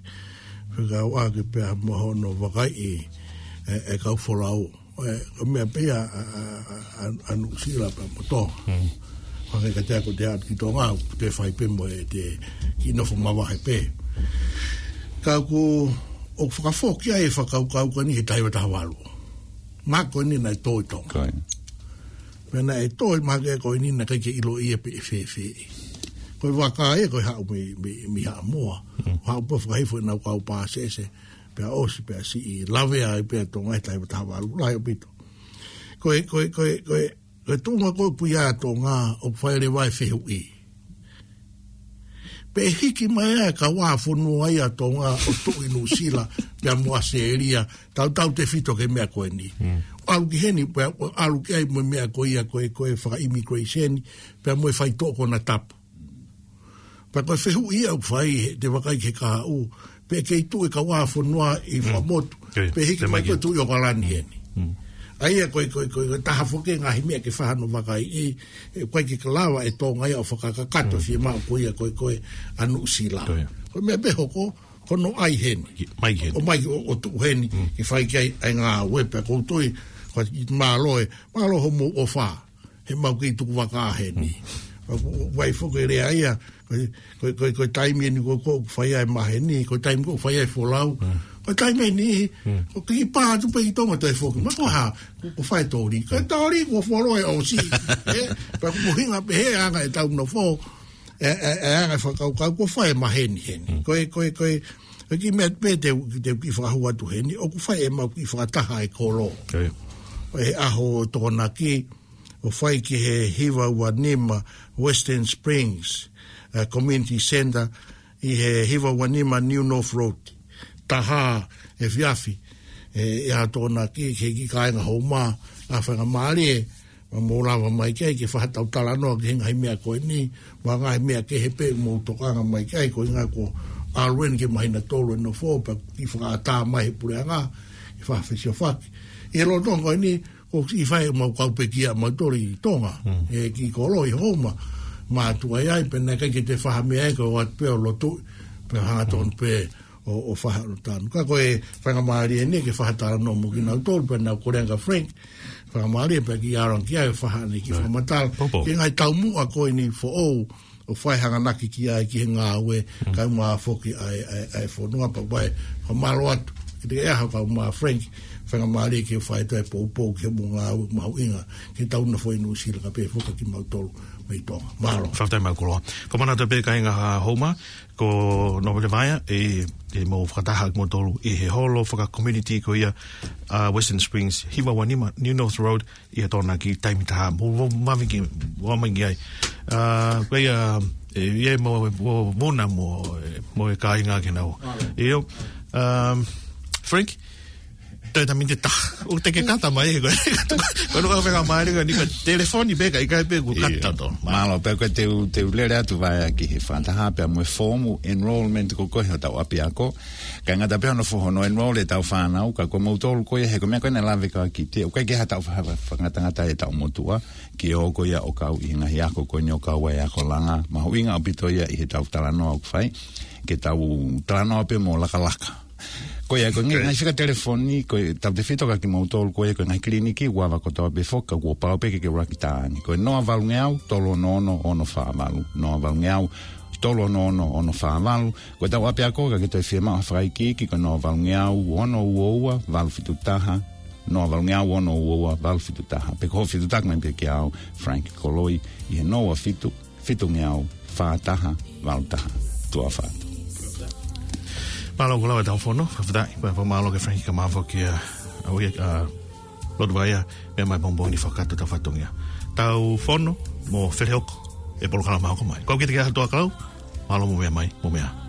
Fekauʻaki pea mo hono vakaiʻi e, e kau folau. Ē, ko e meʻa pē ia ʻa, ʻa, ʻa, ʻa, ʻa Nuʻusila pea mo Tonga. Hangē ka te ako te aʻu ki Tonga, ʻoku te fai pē mo e te kiʻi nofo mavahe pē. Ka ʻoku, ʻoku fakafoki ai e fakakaukau ko eni he taha hiva taha valu. Mahalo ko eni naʻe tō ʻi Tonga. Ko ia. Pea naʻe tō ʻi mahalo ko eni naʻe ʻikai ke ʻiloʻi ia pe ʻe fēfē. Ko e vaka ia ko e haʻu mei, mei, mei Haʻamoa. Haʻu pē fakahifo ʻenau kau pāsese. Pea ʻosi, pea siʻi lavea ai pē ʻa Tonga he taha hiva taha valu, lahi ʻaupito. Ko e, ko e, ko e, ko e, ko e tuʻunga ko ē ʻoku ʻi ai ʻa Tonga, ʻoku fai leva e fehuʻi. Pe hiki mai ʻa e kau ʻa fonua ia ʻa Tonga ʻo tuʻu ʻi Nuʻusila, pea mo ʻAositelēlia, tautautefito ki he meʻa ko eni. ʻAlu ki heni, pea ʻalu ki ai mo e meʻa ko ia, ko e, ko e faka-immigration, pea mo e faitoʻo konatapu. Pea ko e fehuʻi ia ʻoku fai he, te vakai ki he kahaʻu, pe kei tuʻu e kau ʻa fonua ʻi fakamotu, pe hiki mai ko e tuʻu ʻi ʻOkalani heni. ʻA ia ko e, ko e, ko e, ko e taha foki e ngaahi meʻa ke fai hano vakaiʻi, ʻe, ʻoku ʻikai ke lava ʻe Tonga ia ʻo fakakakato fiemaʻu ko ia ko e, ko e ʻa Nuʻusila. Ko e meʻa pē hoko, ko hono ʻai heni. ʻOmai heni. ʻO, ʻo tuʻu heni, ke fai ki ai ʻa e ngāue pea ʻoku ou tui, ko e mālō ē, mālō hoʻomou ʻofa. He mau kei tuku vaka heni. Vai foki e lea ia, ko e, ko e, ko e, ko e taimi eni ko ē ʻoku fai ai e maheni, ko e taimi ko ē ʻoku fai ai e folau. Ko e taimi ni, ko e kiʻi pā atu pē ʻi Tonga toe foki. Ma ko ha, ko, ko fai tōli. Ko e tōli, ko folo e ʻosi. Ē, pea ko e ʻuhinga pē he anga ʻetau nofo. E, e, e anga e fakakaukau, ko fai maheni heni. Ko e, ko e, ko e, ko e kiʻi meʻa pē te u, te u kiʻi fakahū atu heni, ʻoku fai ʻemau kiʻi fakataha e kolo. ʻI he ʻaho Tokonaki, ʻo fai ki he hiva ua nima Western Springs, eh, Community Centre, ʻi he hiva ua nima New North Road, taha efiafi, eh, ʻi he Tokonaki, ki he kiʻi kāinga Houma, ʻa e faingamālie, mo lava mai ki ai ke fai haʻatau talanoa ki he ngaahi meʻa ko eni, mo e ngaahi meʻa kehe pē mo tokanga mai ki ai, ko e ʻuhinga ko e ʻalu eni ke māhina tolu e nofo, pea kiʻi fakaʻatā mai he puleʻanga, ke fai ha fesiofaki. ʻI he lolotonga ko eni, ʻoku kiʻi fai ʻemau kau pekia ʻamautolu ʻi Tonga, e kiʻi kolo ʻi Houma, mātuʻa ai, pea naʻe ʻikai ke toe fai ha meʻa ai, ko e ʻoatu pē ʻo lotu, pea hangatonu pē ʻo, ʻo fai haʻanau tanu. Ka ko e faingamālie eni ke fai ha talanoa mo kinautolu, pea naʻa ku lea kia Frank, faingamālie pē ke ʻalu ange ki ai, fai haʻane kiʻi fakamatala. Ki he ngaahi taumuʻa ko eni foʻou, ʻo fai hanganaki ki ai ki he ngāue, kae ʻumaʻā foki ʻa e, ʻa e, ʻa e fonua pea ʻoku ou fakamālō atu. Kiate koe ʻaho kaeʻumaʻā Frank, faingamālie ke fai atu e poupou ki he mo ngāue mahuʻinga, ke tau nofo ʻi Nuʻusila kae pehē foki kimautolu mei Tonga. Mālō. Fakafetaʻi mo e koloa. Fakamanatu pē kāinga Houma, ko Nōpele Vaea, ʻe, ʻe mou fakataha kimoutolu ʻi he holo faka-community ko ia, ʻa Western Springs, hiva ua nima New North Road, ʻi he Tokonaki taimi taha, mo, mo, mami ki, mo mami ki ai. ʻA, ko ia, ʻe, ʻe mo, mo, mo na mo, ʻe, mo e kāinga ke nau. ʻIo, um, Frank, toe ta minte ta. ʻO te ke kata mai, ko, ko no ka feka mai, ko ni ka telefoni pē ka ʻikai pē ko kata to. Mālō, pea ko e te u, te u lele atu Vaea ki he fakataha, pea mo e foomu enrollment ko ko e hotau ʻapiako. Kae ngata pē hono fo-, hono enroll ʻetau fānau, ka ko moutolu ko ia he ko e meʻa ko ē naʻe lave ki ai Kitia, ʻoku ʻikai ke ha taʻu fa-, fa-, fakangatangata ʻetau motuʻa, ke ō ko ia ʻo kau ʻi he ngaahi ako ko eni ʻo kau ai e ako langa, mahuʻinga ʻaupito ia ʻi heʻetau talanoa ʻoku fai, ke tau talanoa pē mo lakalaka. Ko ia ko e ngaahi fika telefoni, ko e tautefito kia kimoutolu, ko ia ko e ngaahi kiliniki, ʻoku ava kotoa pē foki, ka kuo pau pē ke ke ʻuluaki tā ni. Ko e noa valungeau, tolu ono ono, ono fā valu, noa valungeau, tolu ono ono, ono fā valu, Ko ʻetau ʻapiako ka ke toe fiemaʻu ha fakaikiiki ko e noa valungeau ono ua ua valu fitu taha, noa valungeau ono ua ua valu fitu taha. Pe ko hoʻo fetuʻutaki mai pē kiate au, Frank Koloi, ʻi he noa ua fitu, fitu ngeau, fā taha, valu taha. Tuʻa ʻofa atu. Mālō ʻaupito ʻetau fono, fakafetaʻi, pea fakamālō kia Frank kae ʻumaʻā foki ʻa, ʻa, ʻa, Lord Vaea, meʻa mai pongipongi ni fakakakato ʻetau fatongia. Tau fono, mo felehoko, ʻe polokalama hoko mai. Ko au Kitia Kahaʻu Tuʻakau, mālō mo meʻa mai, mo meʻa.